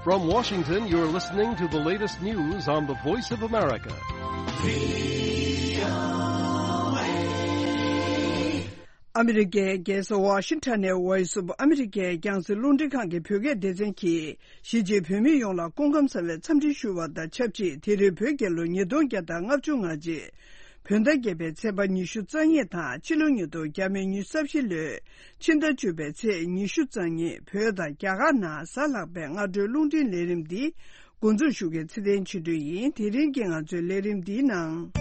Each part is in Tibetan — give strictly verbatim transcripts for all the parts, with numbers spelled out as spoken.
From Washington, you're listening to the latest news on the Voice of America. ཨ་མི་རི་ཀའི་རྒྱལ་ས་ཝ་ཤིང་ཊོན་ནས་Voice of America རྒྱང་སྲིང་རླུང་འཕྲིན་ཁང་གི་བོད་སྐད་སྡེ་ཚན་གྱིས། གཞིས་བྱེས་བོད་མི་ཡོངས་ལ་སྐུ་ཁམས་བཟང་བའི་འཚམས་འདྲི་ཞུ་བ་དང་ཆབས་ཅིག་དེ་རིང་བོད་རྒྱལ་ལོ་ཉིས་སྟོང་བརྒྱ་དང་ལྔ་བཅུ་ང་གཅིག་བོད་ཟླ་བརྒྱད་པའི་ཚེས་པ་ཉི་ཤུ་རྩ་གཉིས་དང་ཕྱི་ལོ་ཉིས་སྟོང་ཉི་ཤུ་རྩ་བཞི་ལོའི་ཕྱི་ཟླ་བཅུ་པའི་ཚེས་ཉི་ཤུ་རྩ་གཉིས་བོད་དང་རྒྱ་གར་ནང་གཟའ་ལྷག་པའི་སྔ་དྲོའི་རླུང་འཕྲིན་ལས་རིམ་འདི་འགོ་འཛུགས་ཞུ་མཁན་ཚེ་བརྟན་ཆོས་སྒྲོན་ཡིན། དེ་རིང་གི་ང་ཚོའི་ལས་རིམ་འདིའི་ནང་།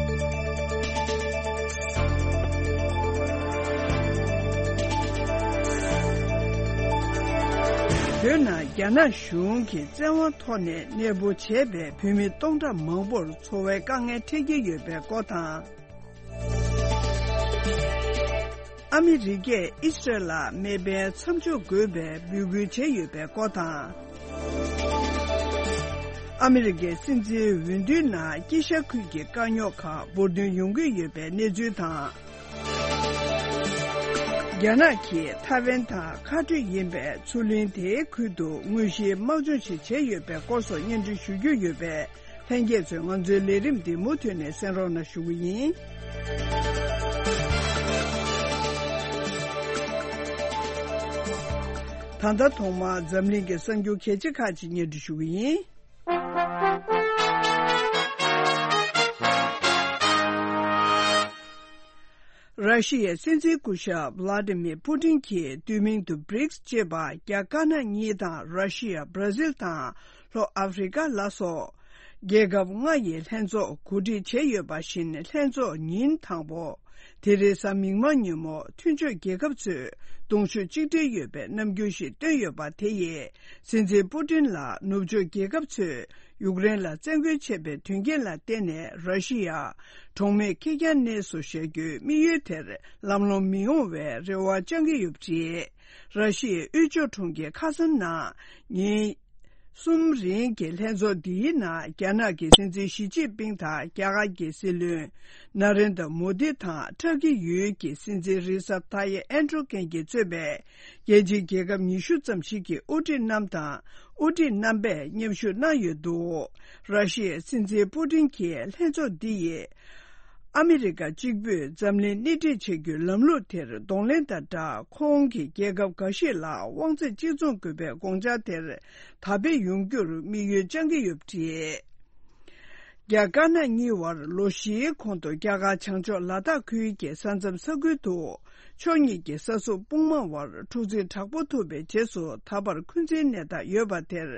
བོད་ནང་རྒྱ་ནག་གཞུང་གིས་བཙན་དབང་ཐོག་ནས་གནས་སྤོ་བྱས་པའི་བོད་མི་སྟོང་ཕྲག་མང་པོར་འཚོ་བའི་དཀའ་ངལ་འཕྲད་ཀྱི་ཡོད་པའི་སྐོར་དང་། ཨ་མི་རི་ཀས་ཨི་སི་རལ་ལ་མེ་འཕེན་མཚམས་འཇོག་དགོས་པའི་འབོད་སྐུལ་བྱས་ཡོད་པའི་སྐོར་དང་། ཨ་མི་རི་ཀའི་སྲིད་འཛིན་འོས་བསྡུའི་ནང་དཀྱིལ་ཤར་ཁུལ་གྱི་དཀའ་རྙོག་ཁག་འབུར་ཐོན་ཡོང་གི་ཡོད་པའི་གནས་ཚུལ་དང་། རྒྱ་ནག་གིས་ཐའེ་ཝན་དང་ཁ་འཕྲོད་ཡིན་པའི་མཚོ་གླིང་དེའི་ཁུལ་དུ་དངོས་གཞིའི་དམག་སྦྱོང་ཞིག་བྱས་ཡོད་པའི་སྐོར་སོགས་སྙན་སྒྲོན་ཞུ་རྒྱུ་ཡོད་པས། ལྷན་རྒྱས་ཚོས་ང་ཚོའི་ལས་རིམ་འདི་མུ་མཐུད་ནས་གསན་རོགས་གནང་ཞུ་གི་ཡིན། ད་ལྟ་ཐོག་མར་འཛམ་གླིང་གི་གསར་འགྱུར་གལ་ཆེ་ཁག་ཅིག་སྙན་སྒྲོན་ཞུ་གི་ཡིན། ར་ཤི་ཡའི་སྲིད་འཛིན་སྐུ་ཞབས་ཝ་ལ་ཏི་མིར་པུ་ཏིན་གྱིས་བསྡུས་མིང་དུ་བྷི་རིགས་ཅེས་པ་རྒྱ་དཀར་ནག་གཉིས་དང་ར་ཤི་ཡ། བྷ་ར་ཟིལ་དང་ལྷོ་ཨ་ཧྥེ་རི་ཀ་ལ་སོགས་རྒྱལ་ཁབ་ལྔ་ཡི་ལྷན་ཚོགས་གོ་སྒྲིག་བྱས་ཡོད་པ་བཞིན་ལྷན་ཚོགས་ཉིན་དང་པོ་དེ་རེས་གཟའ་མིག་དམར་ཉིན་མོ་མཐུན་ཕྱོགས་རྒྱལ་ཁབ་ཚོས་གདོང་ཤུགས་གཅིག་སྒྲིལ་ཡོད་པའི་རྣམ་འགྱུར་ཞིག་བཏོན་ཡོད་པ་དེ་ཡིས། སྲིད་འཛིན་པུ་ཏིན་ལ་ནུབ་ཕྱོགས་རྒྱལ་ཁབ་ཚོས་ཡུཀ་རེན་ལ་བཙན་རྒོལ་བྱས་པའི་དོན་རྐྱེན་ལ་བརྟེན་ནས་ར་ཤི་ཡ་གྲོགས་མེད་ཁེར་རྐྱང་གནས་སུ་བཞག་རྒྱུའི་དམིགས་ཡུལ་དེར་ལམ་ལྷོང་མི་ཡོང་བའི་རེ་བ་བཅང་གི་ཡོད་པ་རེད། ར་ཤི་ཡའི་དབུས་ཕྱོགས་གྲོང་ཁྱེར་ཁ་སང་ནང་ཉིན་གསུམ་རིང་གི་ལྷན་ཚོགས་འདིའི་ནང་རྒྱ་ནག་གི་སྲིད་འཛིན་ཞི་ཅིན་ཕིང་དང་རྒྱ་གར་གྱི་སྲིད་བློན་ན་རེན་དྲ་མོ་དི་དང་ཏུར་ཀི་ཡུལ་གྱི་སྲིད་འཛིན་རི་སབ་ཐ་ཡེབ་ཨེར་ཏོ་གྷན་གྱིས་གཙོས་པའི་རྒྱལ་སྤྱིའི་རྒྱལ་ཁབ་ཉི་ཤུ་ཙམ་ཞིག་གི་དབུ་ཁྲིད་རྣམས་དང་། དབུ་ཁྲིད་རྣམ་པས་མཉམ་ཞུགས་གནང་ཡོད་འདུག་ར་ཤི་ཡའི་སྲིད་འཛིན་པུ་ཏིན་གྱིས་ལྷན་ཚོགས་འདི་ཡིས་ཨ་མི་རི་ཀ་གཅིག་པུས་འཛམ་གླིང་སྣེ་ཁྲིད་བྱེད་རྒྱུའི་ལམ་ལུགས་དེར་གདོང་ལེན་དང་སྦྲགས། ཁོང་གིས་རྒྱལ་ཁབ་འགའ་ཞིག་ལ་དབང་ཚད་གཅིག་མཚུངས་དགོས་པའི་དགོངས་འཆར་དེར་དར་སྤེལ་ཡོང་རྒྱུར་དམིགས་ཡུལ་བཅངས་ཀྱི་ཡོད་པ་རེད། རྒྱ་དཀར་ནག་གཉིས་བར་ལོ་བཞིའི་གོང་དུ་རྒྱ་གར་བྱང་ཕྱོགས་ལ་དྭགས་ཁུལ་གྱི་ས་མཚམས་ས་ཁུལ་དུ་ཕྱོགས་གཉིས་ཀྱི་ས་སྲུང་དཔུང་དམག་བར་འཁྲུག་འཛིང་དྲག་པོ་ཐུག་པའི་རྗེས་སུ་ད་བར་འཁོན་འཛིན་གནས་སྟངས་ཡོད་པ་དེར་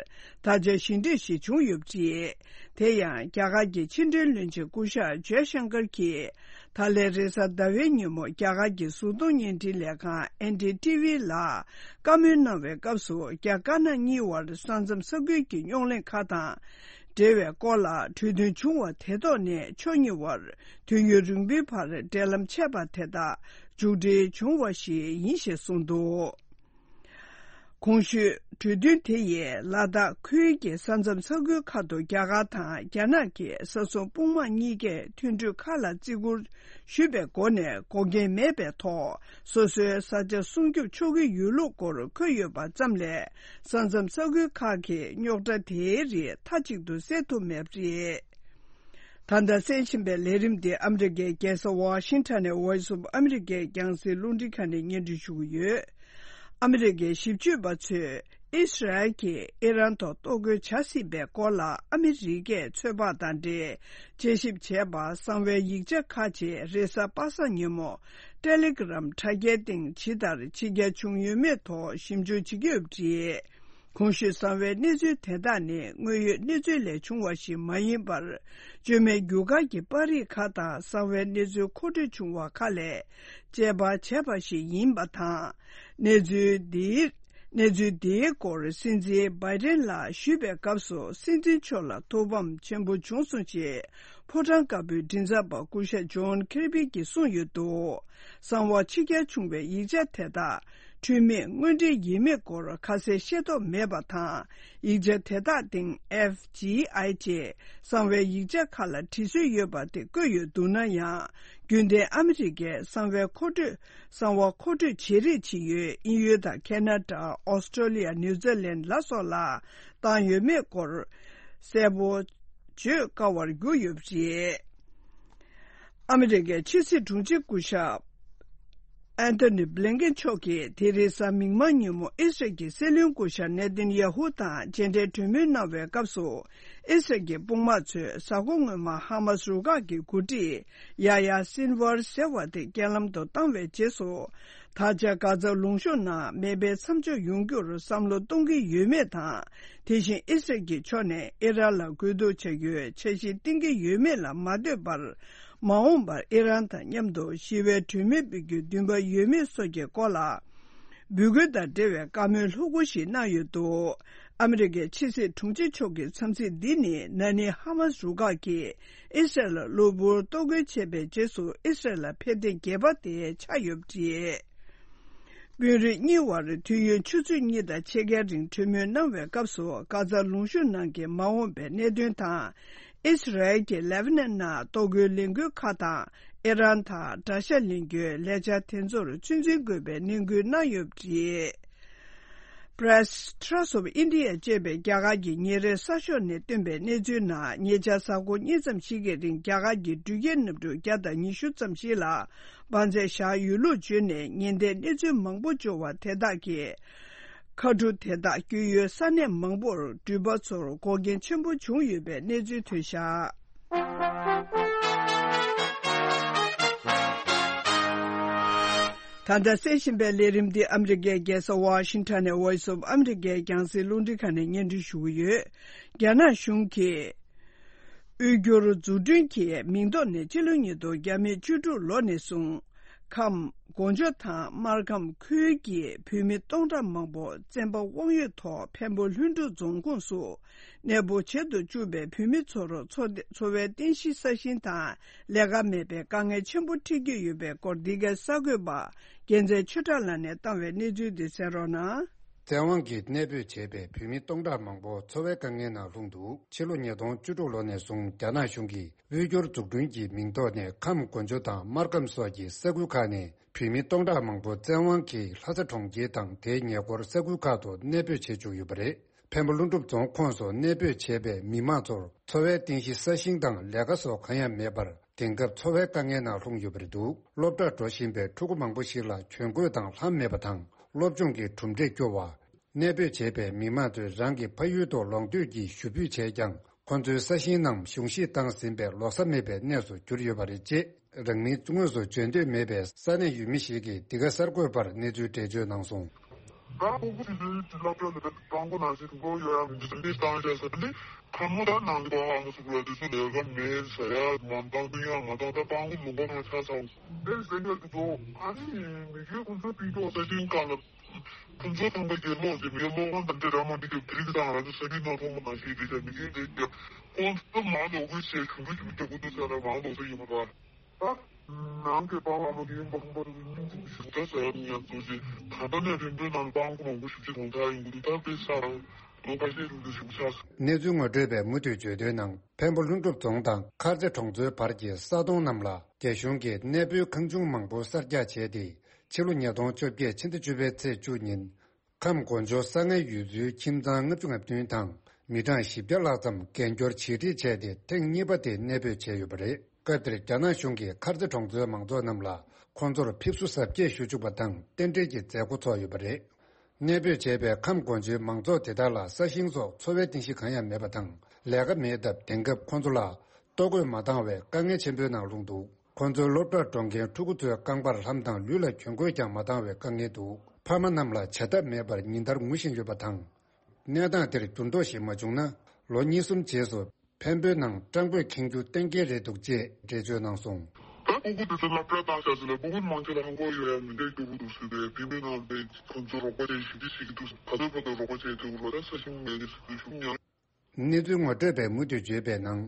ད་ཆ་ཞི་འགྲིག་ཞིག་བྱུང་ཡོད་པ་རེད། དེ་ཡང་རྒྱ་གར་གྱི་ཕྱི་འབྲེལ་བློན་ཆེན་སྐུ་ཞབས་ཇའི་ཤང་ཀར་གྱིས་ད་ལན་རེས་གཟའ་ཟླ་བའི་ཉིན་མོ་རྒྱ་གར་གྱི་གཟུགས་མཐོང་བརྙན་འཕྲིན་ལས་ཁང་ཨེན་ཌི་ཊི་ཝི་ལ་བཀའ་མོལ་གནང་བའི་སྐབས་སུ་རྒྱ་དཀར་ནག་གཉིས་བར་ས་མཚམས་ས་ཁུལ་གྱི་རྙོག་གླེང་ཁག་དང་། འབྲེལ་བའི་སྐོར་ལ་གྲོས་མཐུན་བྱུང་བ་དེ་ཐོག་ནས་ཕྱོགས་གཉིས་བར་དུས་ཡུན་རིང་པོའི་བར་འབྲེལ་ལམ་ཆད་པ་དེ་དག་མཇུག་སྒྲིལ་བྱུང་བ་ཞིག་ཡིན་ཞེས་གསུངས་འདུག་གོང་ཞུས་གྲོས་མཐུན་དེ་ཡིས་ལ་དྭགས་ཁུལ་གྱི་ས་མཚམས་ས་ཁུལ་ཁག་ཏུ་རྒྱ་གར་དང་རྒྱ་ནག་གི་ས་སྲུང་དཔུང་དམག་གཉིས་ཀས་མཐུན་གྲོས་ཁག་ལ་བརྩི་བཀུར་ཞུས་པའི་སྒོ་ནས་འགོག་རྐྱེན་མེད་པའི་ཐོག་སོ་སོའི་ས་ཆ་སྲུང་སྐྱོབ་ཆོག་གི་ཡོད་ལུགས་སྐོར་འཁོད་ཡོད་པ་ཙམ་ལས། ས་མཚམས་ས་ཁུལ་ཁག་གི་རྙོག་དྲ་དེའི་རིགས་མཐའ་གཅིག་ཏུ་སེལ་ཐུབ་མེད་པ་རེད། ད་ལྟ་གསན་བཞིན་པའི་ལས་རིམ་འདི་ཨ་མི་རི་ཀའི་རྒྱལ་ས་ཝ་ཤིང་ཊོན་ནས་Voice of America རྒྱང་སྲིང་རླུང་འཕྲིན་ཁང་ནས་སྙན་སྒྲོན་ཞུ་གི་ཡོད། ཨ་མི་རི་ཀའི་ཞིབ་དཔྱོད་པ་ཚོས་ཨི་སི་རལ་གྱིས་ཨི་རན་ཐོག་གཏོར་རྒོལ་བྱ་སྲིད་པའི་སྐོར་ལ་ཨ་མི་རི་ཀས་ཚོད་དཔག་དང་འབྲེལ་དཔྱད་ཞིབ་བྱས་པ་གསང་བའི་ཡིག་ཆ་ཁག་ཅིག་རེས་གཟའ་པ་སངས་ཉིན་མོ་ཊེ་ལི་གྷི་རམ་དྲ་རྒྱའི་སྟེང་ཇི་ལྟར་ཕྱི་གྱར་བྱུང་ཡོད་མེད་ཐོག་ཞིབ་འཇུག་བྱེད་ཀྱི་ཡོད་པ་རེད། གོང་ཞུས་གསང་བའི་གནས་ཚུལ་དེ་དག་ནི་དངོས་ཡོད་གནས་ཚུལ་ལས་བྱུང་བ་ཞིག་མ་ཡིན་པར། བཅོས་མའི་རྒྱུ་སྐར་གྱི་པར་རིས་ཁག་དང་གསང་བའི་གནས་ཚུལ་མཁོ་སྤྲོད་བྱུང་བ་ཁག་ལས་དཔྱད་པ་བྱས་པ་ཞིག་ཡིན་པ་དང་། གནས་ཚུལ་འདིའི་གནས་ཚུལ་འདིའི་སྐོར་སྲིད་འཛིན་བྷའི་ཏིན་ལ་ཞུས་པའི་སྐབས་སུ་སྲིད་འཛིན་མཆོག་ལ་ཐུགས་ཕམ་ཆེན་པོ་བྱུང་སོང་ཞེས་ ཕོ་བྲང་དཀར་པོའི་མགྲིན་ཚབ་པ་སྐུ་ཞབས་ཇོན་ཁེར་བྷི་གྱིས་གསུངས་ཡོད་འདུག་གསང་བ་ཕྱི་གྱར་བྱུང་བའི་ཡིག་ཆ་དེ་དག་འཁྲུལ་མེད་དངོས་འབྲེལ་ཡིན་མིན་སྐོར་ཁ་གསལ་ཤེས་རྟོགས་མེད་པ་དང་། ཡིག་ཆ་དེ་དག་སྟེང་ཨེཕ་ཇི་ཨའི་ཅེས་གསང་བའི་ཡིག་ཆ་ཁག་ལ་འབྲི་སྲོལ་ཡོད་པ་དེ་བཀོད་ཡོད་འདུག་ན་ཡང་། རྒྱུན་ལྡན་ཨ་མི་རི་ཀའི་གསང་བའི་མཁོ་སྤྲོད། གསང་བ་མཁོ་སྤྲོད་བྱེད་རིགས་ཇི་ཡོད་དབྱིན་ཡུལ་དང་ཁེ་ན་ཌ། ཨོ་སི་ཀྲོ་ལི་ཡ། ནིའུ་ཛི་ལན་ལ་སོགས་ལ་བཏང་ཡོད་མེད་སྐོར་གསལ་པོ་བརྗོད་དཀའ་བར་གྱུར་ཡོད་པ་རེད། ཨ་མི་རི་ཀའི་ཕྱི་སྲིད་དྲུང་ཆེ་སྐུ་ཞབས་ཨན་ཐོ་ནི་བྷི་ལིན་ཀེན་མཆོག་གིས་དེ་རིང་གཟའ་མིག་དམར་ཉིན་མོ་ཨི་སི་རལ་གྱི་སྲིད་བློན་སྐུ་ཞབས་ནེ་ཐན་ཡ་ཧུ་དང་མཇལ་འཕྲད་གྲོས་མོལ་གནང་བའི་སྐབས་སུ། ཨི་སི་རལ་གྱི་དཔུང་དམག་ཚོས་གཟའ་འཁོར་སྔོན་མ་ཧ་མ་སི་རུ་ཁག་གི་འགོ་ཁྲིད་ཡ་ཡ་སིན་ཝར་ཟེར་བ་དེ་རྐྱེན་ལམ་དུ་བཏང་བའི་རྗེས་སུ། ད་ཆ་གྷ་ཛ་ལུང་གཤོང་ནང་མེ་འཕེན་མཚམས་འཇོག་ཡོང་རྒྱུར་བསམ་བློ་གཏོང་གི་ཡོད་མེད་དང་། དེ་བཞིན་ཨི་སི་རལ་གྱི་ཕྱོགས་ནས་ཨི་རན་ལ་རྒོལ་རྡུང་བྱ་རྒྱུའི་འཆར་གཞི་བཏིང་གི་ཡོད་མེད་ལ་མ་ལྟོས་པར། མ་འོངས་པར་ཨི་རན་དང་མཉམ་དུ་ཞི་བའི་གྲོས་མོལ་སྤེལ་རྒྱུའི་འདུན་པ་ཡོད་མེད་སོགས་ཀྱི་སྐོར་ལ། འབོད་སྐུལ་དང་འབྲེལ་བའི་བཀའ་མོལ་ལྷུག་པོ་ཞིག་གནང་ཡོད་འདུག་ཨ་མི་རི་ཀའི་ཕྱི་སྲིད་དྲུང་ཆེ་མཆོག་གི་འཚམས་གཟིགས་འདི་ནི་ན་ནིང་ཧ་མ་སི་རུ་ཁག་གིས་ཨི་སི་རལ་ལ་གློ་བུར་གཏོར་རྒོལ་བྱས་པའི་རྗེས་སུ་ཨི་སི་རལ་ལ་ཕེབས་ཐེངས་བརྒྱད་པ་དེ་ཆགས་ཡོད་པ་རེད། དཔོན་རིགས་གཉིས་དབར་དུས་ཡུན་ཆུ་ཚོད་གཉིས་དང་ཕྱེད་ཀའི་རིང་གྲོས་མོལ་གནང་བའི་སྐབས་སུ། གྷ་ཛ་ལུང་གཤོང་ནང་གི་མ་འོངས་པའི་གནད་དོན་དང་། ཨི་སི་རལ་གྱིས་ལེ་བྷ་ནན་ནང་གཏོར་རྒོལ་ལས་འགུལ་ཁག་དང་། ཨི་རན་དང་དགྲ་ཤ་ལེན་རྒྱུའི་ལས་འཆར་དེ་ཚོར་ཚོད་འཛིན་དགོས་པའི་ནན་སྐུལ་གནང་ཡོད་པ་རེད། Press Trust of India ཅེས་པའི་རྒྱ་གར་གྱི་ཉིན་རེའི་གསར་ཤོག་ནས་བཏོན་པའི་གནས་ཚུལ་ནང་། ཉེ་ཆར་གཟའ་འཁོར་གཉིས་ཙམ་ཞིག་གི་རིང་རྒྱ་གར་གྱི་འགྲུལ་སྐྱེལ་གནམ་གྲུ་བརྒྱ་དང་ཉི་ཤུ་ཙམ་ཞིག་ལ་དབང་ཚད་བཞག་ཡོད་ལུགས་བརྗོད་ནས། ཉེན་བརྡའི་གནས་ཚུལ་མང་པོ་འབྱོར་བ་དེ་དག་གིས། མཁའ་གྲུ་དེ་དག་བསྐྱོད་ཡུལ་ས་གནས་མང་པོར་འགྲུལ་པ་ཚོར་འགོག་རྐྱེན་ཆེན་པོ་བྱུང་ཡོད་པའི་གནས་ཚུལ་ཐོན་བཞག་ད་ལྟ་གསན་བཞིན་པའི་ལས་རིམ་འདི་ཨ་མི་རི་ཀའི་རྒྱལ་ས་ཝ་ཤིང་ཊོན་ནས་Voice of America རྒྱང་སྲིང་རླུང་འཕྲིན་ཁང་ནས་སྙན་སྒྲོན་ཞུ་གི་ཡོད། རྒྱ་ནག་གཞུང་གིས། དབུས་འགྱུར་འཛུགས་སྐྲུན་གྱི་མིང་ཐོག་ནས་ཕྱི་ལོ་ཉིས་སྟོང་བརྒྱ་མེད་བཅུ་དྲུག་ལོ་ནས་བཟུང་། ཁམས། གོ་འཇོ་དང་སྨར་ཁམས་ཁུལ་གྱི་བོད་མི་སྟོང་ཕྲག་མང་པོ་བཙན་པ་དབང་ཡོད་ཐོག་འཕན་པོ་ལྷུན་གྲུབ་རྫོང་ཁོངས་སུ་གནས་སྤོ་བྱེད་དུ་བཅུག་པའི་བོད་མི་ཚོར་འཚོ་འཚོ་བའི་རྟེན་གཞི་ས་ཞིང་དང་ལས་ཀ་མེད་པའི་དཀའ་ངལ་ཆེན་པོ་འཕྲད་ཀྱི་ཡོད་པའི་སྐོར། འདི་གའི་གསར་འགོད་པ་རྒྱལ་མཚན་ཆོས་གྲགས་ལགས་ནས་བཏང་བའི་གནས་ཚུལ་འདི་གསན་རོགས་གནང་། བཙན་དབང་གིས་གནས་སྤོས་བྱས་པའི་བོད་མི་སྟོང་ཕྲག་མང་པོ་འཚོ་བའི་དཀའ་ངལ་ནང་ལྷུང་འདུག་ཕྱི་ལོ་ཉིས་སྟོང་བཅུ་དྲུག་ལོ་ནས་བཟུང་རྒྱ་ནག་གཞུང་གིས་དབུས་འགྱུར་འཛུགས་སྐྲུན་གྱི་མིང་ཐོག་ནས་ཁམས། གོ་འཇོ་དང་སྨར་ཁམས་སོགས་ཀྱི་ས་ཁུལ་ཁག་ནས་བོད་མི་སྟོང་ཕྲག་མང་པོ་བཙན་དབང་གིས་ལྷ་ས་གྲོང་ཁྱེར་དང་དེའི་ཉེ་འཁོར་ས་ཁུལ་ཁག་ཏུ་གནས་སྤོས་བྱེད་བཅུག་ཡོད་པ་རེད། འཕན་པོ་ཀླུ་སྒྲུབ་རྫོང་ཁོངས་སུ་གནས་སྤོས་བྱས་པའི་མི་མང་ཚོར་འཚོ་བའི་རྟེན་གཞི་ས་ཞིང་དང་ལས་ཀ་སོགས་གང་ཡང་མེད་པར། དེང་སྐབས་འཚོ་བའི་དཀའ་ངལ་ནང་ལྷུང་ཡོད་པ་རེད་འདུག་སློབ་གྲྭར་འགྲོ་བཞིན་པའི་ཕྲུ་གུ་མང་པོ་ཞིག་ལ་གྱོན་གོས་དང་ལྷམ་མེད་པ་དང་སློབ་སྦྱོང་གི་གྲུབ་འབྲས་སྐྱོ་བ། གནས་སྤོས་བྱས་པའི་མི་མང་ཚོས་རང་གི་ཕ་ཡུལ་དུ་ལོག་འདོད་ཀྱི་ཞུ་འབོད་བྱས་ཀྱང་། ཁོ་ཚོའི་ས་ཞིང་རྣམས་གཞུང་བཞེས་བཏང་ཟིན་པས་ལོག་ས་མེད་པའི་གནས་སུ་གྱུར་ཡོད་པ་རེད། ཅེས་རང་མིང་དངོས་སུ་བརྗོད་འདོད་མེད་པའི་ས་གནས་ཡུལ་མི་ཞིག་གིས་འདི་ག་གསར་འགོད་པར་གནས་ཚུལ་འགྲེལ་བརྗོད་གནང་སོང་། ད་ཕྲུ་གུ་དེ་ཚོའི་བསླབ་གྲྭ་ལ་སྤྲང་པོ་ནང་བཞིན་འགྲོ་ཡོད་ཡ་མི་འདུག་འདི་བཏང་བྱས་ས་འདི་ཁ་མོ་ད་ནང་གི་པ་ཨ་མ་སུ་གུ་ལ་དེ་ཚོ་ལས་ཀ་མེད་ཟེར་ཡ་མ་བཏང་དུ་ཡ་མ་བཏང་ད་སྤྲང་པོ་ལུང་པ་ནང་ཆགས་ཚར། འདི་ཟེར་ཡ་དེ་ཚོ་ཨ་ནི་མི་རྒན་ཁོང་ཚོ་སྤུན་ཀྱོག་ས་ཞིང་ཁ་ལ། ཁོང་ཚོ་ཚང་མ་གི་བློ་ཞིག་མི་བློ་ཁོང་དང་འདྲ་ར་མ་འདི་གི་བྲིས་དང་ར་ཚོ་ས་གི་ནང་ཐོང་མ་ནང་ཞིག་འདི་ཆ་མི་གི་འདི་གི་ཁོང་ཚོ་མ་ལོག་གི་ཞེས་ཞུ་འདུག་ཞུ་འདུག་ཀུ་འདུག་ས་ར་མ་ལོག་ས་ཡིན་པ་ར། ད་ནང་གི་པ་བ་མ་གི་ཡིན་པ་ཁོང་པ་ར་སྙིང་རྗེ་ཞུ་ད་ས་ཡ་མི་ཡང་ཚོ་ཞིག་ད་ལྟ་ནས་རིམ་པའི་ནང་པང་ཁོང་མང་པོ་ཞིག་ཅིག་གོང་ཐག་ཡིན་གི་འདུག་ད་དཔེ་ས་ར་ལོ་ཁ་ཤས་རིང་དུ་ཞུ་ཆགས། གནས་ཚུལ་ངོ་སྤྲོད་པས་མུ་མཐུད་བརྗོད་དོན་ནང་འཕན་པོ་ཀླུ་སྒྲུབ་རྫོང་དང་མཁར་རྩེ་གྲོང་ཚོའི་བར་གྱི་ས་དོང་རྣམས་ལ་རྒྱ་གཞུང་གིས་གནས་སྤོའི་ཁང་ཆུང་མང་པོ་གསར་རྒྱག་བྱས་ཏེ། ཕྱི་ལོ་ཉིས་སྟོང་བཅོ་བརྒྱད་ཕྱི་ཟླ་བཅུ་པའི་ཚེས་བཅུ་ཉིན། ཁམས་གོ་འཇོ་ས་ངན་ཡུལ་ཚོའི་ཁྱིམ་ཚང་ལྔ་བཅུ་ང་བདུན་དང་མི་གྲངས་བཞི་བརྒྱ་ལྷག་ཙམ་རྒན་སྐྱོར་བྱིས་ཁྲིད་བྱས་ཏེ་ཐེངས་གཉིས་པ་དེ་གནས་སྤོས་བྱས་ཡོད་པ་རེད། སྐབས་དེར་རྒྱ་ནག་གཞུང་གིས་མཁར་རྩེ་གྲོང་ཚོའི་མང་ཚོགས་རྣམས་ལ་ཁོང་ཚོར་ཕེབས་བསུ་གཟབ་རྒྱས་ཞུ་བཅུག་པ་དང་རྟེན་འབྲེལ་གྱི་མཛད་སྒོ་ཚོགས་ཡོད་པ་རེད། གནས་སྤོས་བྱས་པའི་ཁམས་གོ་འཇོའི་མང་ཚོགས་དེ་དག་ལ་ས་ཞིང་སོགས་འཚོ་བའི་རྟེན་གཞི་གང་ཡང་མེད་པ་དང་ལས་ཀ་མེད་སྟབས་དེང་སྐབས་ཁོང་ཚོ་ལ་ལྟོ་གོས་མ་འདང་བའི་དཀའ་ངལ་ཆེན་པོའི་ནང་ལྷུང་འདུག་ཁོང་ཚོའི་སློབ་གྲྭར་འགྲོ་མཁན་ཕྲུ་གུ་ཚོའི་རྐང་པར་ལྷམ་དང་ལུས་ལ་གྱོན་གོས་ཀྱང་མ་འདང་བའི་དཀའ་ངལ་འདུག་ཕ་མ་རྣམས་ལ་བྱ་ཐབས་མེད་པར་ཉིན་ལྟར་ངུ་བཞིན་ཡོད་པ་དང་། གནས་སྟངས་དེར་འགྱུར་ལྡོག་ཞིག་མ་བྱུང་ན་ལོ་གཉིས་གསུམ་རྗེས་སུ་འཕན་པོའི་ནང་སྤྲང་པོས་ཁེངས་རྒྱུ་གཏན་འཁེལ་རེད་འདུག་ཅེས་འགྲེལ་བརྗོད་གནང་སོང་། ད་ཕྲུ་གུ་དེ་ཚོ་སློབ་གྲྭ་བཏང་བཞག་ཟེར་ལ་ཕྲུ་གུ་མང་ཆེ་ལ་ཧང་གོ་ཡོད་ཡ་མི་འདྲ་སྐྱོ་པོ་འདུག་ཟེར་ཏེ་ཕན་པོའི་ནང་དེ་ཁོང་ཚོ་རོགས་པ་བྱས་ཞིབ་འཇུག་བྱེད་ཀྱི་འདུག་ད་ལྟ་བར་དུ་རོགས་པ་བྱས་ཐུབ་ཀྱི་རོགས་ད་ས་ཞིང་མེད་ནི་ཟེར་ཏེ་ཤུགས་ཉར། གནས་ཚུལ་ངོ་སྤྲོད་པས་མུ་མཐུད་བརྗོད་པའི་ནང་།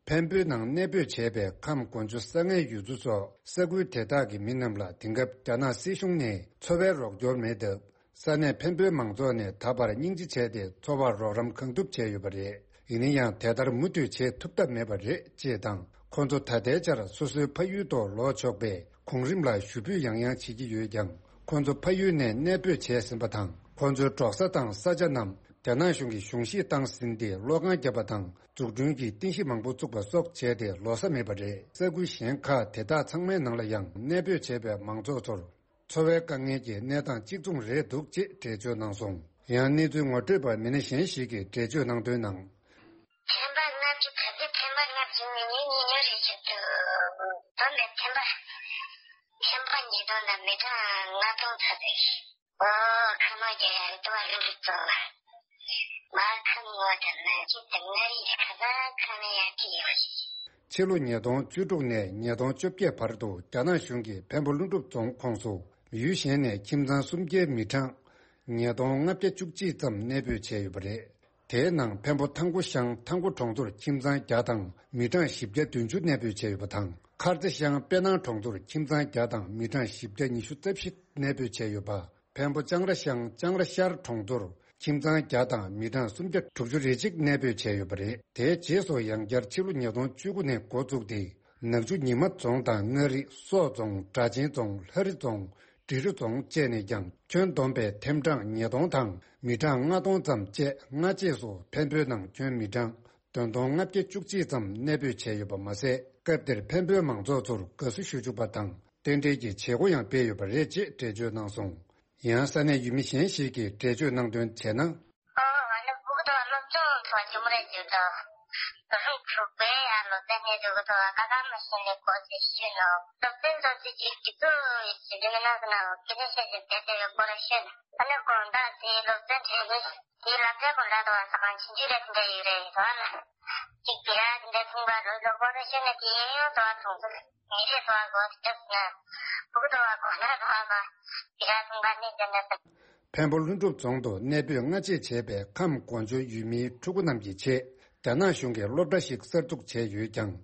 འཕན་པོའི་ནང་གནས་སྤོས་བྱས་པའི་ཁམས་གོ་འཇོ་ས་ངན་ཡུལ་ཚོ་སོགས་ས་ཁུལ་དེ་དག་གི་མི་རྣམས་ལ་དེང་སྐབས་རྒྱ་ནག་སྲིད་གཞུང་ནས་འཚོ་བའི་རོགས་སྐྱོར་མེད་སྟབས། ས་གནས་འཕན་པོའི་མང་ཚོགས་ནས་ད་བར་སྙིང་རྗེ་བྱས་ཏེ་འཚོ་བར་རོགས་རམ་གང་ཐུབ་བྱས་ཡོད་པ་རེད། ཡིན་ན་ཡང་དེ་ལྟར་མུ་མཐུད་བྱེད་ཐུབ་ཐབས་མེད་པ་རེད་ཅེས་དང་། ཁོང་ཚོ་ད་ལྟའི་ཆར་སོ་སོའི་ཕ་ཡུལ་དུ་ལོག་ཆོག་པའི་གོང་རིམ་ལ་ཞུ་འབོད་ཡང་ཡང་བྱེད་ཀྱི་ཡོད་ཀྱང་། ཁོང་ཚོ་ཕ་ཡུལ་ནས་གནས་སྤོས་བྱས་ཟིན་པ་དང་། ཁོང་ཚོའི་འབྲོག་ས་དང་ས་ཆ་རྣམས་རྒྱ་ནག་གཞུང་གིས་གཞུང་བཞེས་བཏང་ཟིན་ཏེ། གློག་ཁང་བརྒྱབ་པ་དང་འཛུགས་སྐྲུན་གྱི་རྟེན་གཞི་མང་པོ་བཙུགས་པ་སོགས་བྱས་ཏེ་ལོ་ས་མེད་པ་རེད། ས་ཁུལ་གཞན་ཁག་དེ་དག་ཚང་མའི་ནང་ལ་ཡང་གནས་སྤོས་བྱས་པའི་མང་ཚོགས་ཚོར། འཚོ་བའི་དཀའ་ངལ་གྱི་གནས་སྟངས་གཅིག་མཚུངས་རེད་འདུག་ཅེས་འགྲེལ་བརྗོད་གནང་སོང་། ཡང་གནས་ཚུལ་ངོ་སྤྲོད་པ་མི་སྣ་གཞན་ཞིག་གིས་འགྲེལ་བརྗོད་གནང་དོན་ནང་། ཐེམ་པ་ལྔ་བཅུ། ད་ལྟའི་ཐེམ་པ་ལྔ་བཅུ་ནས་ཉིས་ཉི་ཉི་རེ་བྱེད་དུ་བསྡོམས་པའི་ཐེམ་པ། ཐེམ་པ་ཉིས་སྟོང་དང་མི་གྲངས་ལྔ་སྟོང་ཚ་ཚོད། ཨོ། ཁ་མ་རྒྱ་ཡར་ཏུ་བ་ལུ་ཏུ་ཙོ། མ་ཁམ་ངོ་དང་ན་ཅི་དང་ན་རི་ཁ་ས་ཁ་ནི་ཡར་ཏི་ཡོ། ཕྱི་ལོ་ཉིས་སྟོང་བཅུ་དྲུག་ནས་ཉིས་སྟོང་བཅོ་བརྒྱད་བར་དུ་རྒྱ་ནག་གཞུང་གིས་འཕན་པོ་ཀླུ་སྒྲུབ་རྫོང་ཁོངས་སུ་ཡུལ་གཞན་ནས་ཁྱིམ་ཚང་སུམ་བརྒྱའི་མི་གྲངས་ཉིས་སྟོང་ལྔ་བརྒྱ་བཅུ་གཅིག་ཙམ་གནས་སྤོས་བྱས་ཡོད་པ་རེད། དེའི་ནང་འཕན་པོ་ཐང་ཀོ་ཤང་ཐང་ཀོ་གྲོང་ཚོར་ཁྱིམ་ཚང་བརྒྱ་དང་མི་གྲངས་བཞི་བརྒྱ་བདུན་ཅུ་གནས་སྤོས་བྱས་ཡོད་པ་དང་། མཁར་རྩེ་ཤང་དཔེ་སྣང་གྲོང་ཚོར་ཁྱིམ་ཚང་བརྒྱ་དང་མི་གྲངས་བཞི་བརྒྱ་ཉི་ཤུ་རྩ་བཞི་གནས་སྤོས་བྱས་ཡོད་པ། འཕན་པོ་ལྕང་ར་ཤང་ལྕང་ར་ཤར་གྲོང་ཚོར་ཁྱིམ་ཚང་བརྒྱ་དང་མི་གྲངས་སུམ་བརྒྱ་དྲུག་ཅུ་རེ་གཅིག་གནས་སྤོས་བྱས་ཡོད་པ་རེད། དེའི་རྗེས་སུ་ཡང་བསྐྱར་ཕྱི་ལོ་ཉིས་སྟོང་བཅུ་དགུ་ནས་འགོ་བཙུགས་ཏེ། ནག་ཆུ་ཉི་མ་རྫོང་དང་མངའ་རིས་སོག་རྫོང་སྦྲ་ཆེན་རྫོང་ལྷ་རི་རྫོང་འབྲི་རུ་རྫོང་བཅས་ནས་ཀྱང་ཁྱོན་བསྡོམས་པའི་ཐེམ་གྲངས་ཉིས་སྟོང་དང་མི་གྲངས་ལྔ་སྟོང་ཙམ་བཅས་སྔ་རྗེས་སུ་འཕན་པོའི་ནང་ཁྱོན་མི་གྲངས་བདུན་སྟོང་ལྔ་བརྒྱ་བཅུ་གཅིག་ཙམ་གནས་སྤོས་བྱས་ཡོད་པ་མ་ཟད། སྐབས་དེར་འཕན་པོའི་མང་ཚོགས་ཚོར་དགའ་བསུ་ཞུ་བཅུག་པ་དང་རྟེན་འབྲེལ་གྱི་བྱེད་སྒོ་ཡང་སྤེལ་ཡོད་པ་རེད་ཅེས་འགྲེལ་བརྗོད་གནང་སོང་། ཡང་ས་གནས་ཡུལ་མི་གཞན་ཞིག་གིས་འགྲེལ་བརྗོད་གནང་དོན་བྱས་ན། ཨོ། ང་ནི་སྤུ་གུ་དང་སློབ་སྦྱོང་ཐོག་ཞུམ་རེ་བྱེད་དོ། རུ་དྲུག་པའི་ཡང་སློབ་ཚན་ནས་འདུག་གི་ཐོག་ཀ་ཁ་མ་ཤེས་ནས་གོ་ཚེ་ཤེས་ནོ། སློབ་ཚན་ཚོ་ཚེ་གཅིག་གི་ཚུ་ཞིག་གི་མི་ནང་ཟིན་ནའོ་སྐད་ཆ་བཤད་ཅིག་དེ་དེ་ཡོད་སྐོར་ཤེས། ཨ་ནི་དགོང་དག་དེའི་སློབ་ཚན་དྲན་ནི་དེའི་ལམ་སེང་གོ་ལ་དོ་བ་ས་གང་ཆུང་ཆུང་རེ་དེ་འདྲ་ཡོད་རེད་དོ་ལ། གཅིག་དེ་ར་དེ་འདྲ་ཐུང་པ་རུ་ལོ་སྐོར་ཤེས་ནས་དེ་ཡང་དོ་བ་ཐུང་ཚུལ། ཉིན་རེ་དོ་བ་གོ་དེ་འདྲ་ཟིན་ན། སྤུ་གུ་དོ་བ་གོ་ན་དོ་བ་མ་དེ་ར་ཐུང་པ་ནི་དེ་འདྲ་ཟིན། འཕན་པོ་ཀླུ་སྒྲུབ་རྫོང་དུ་གནས་སྤོས་སྔ་རྗེས་བྱས་པའི་ཁམས་གོ་འཇོ་ཡུལ་མིའི་ཕྲུ་གུ་རྣམས་ཀྱི་ཆེད་རྒྱ་ནག་གཞུང་གིས་སློབ་གྲྭ་ཞིག་གསར་འཛུགས་བྱས་ཡོད་ཀྱང་།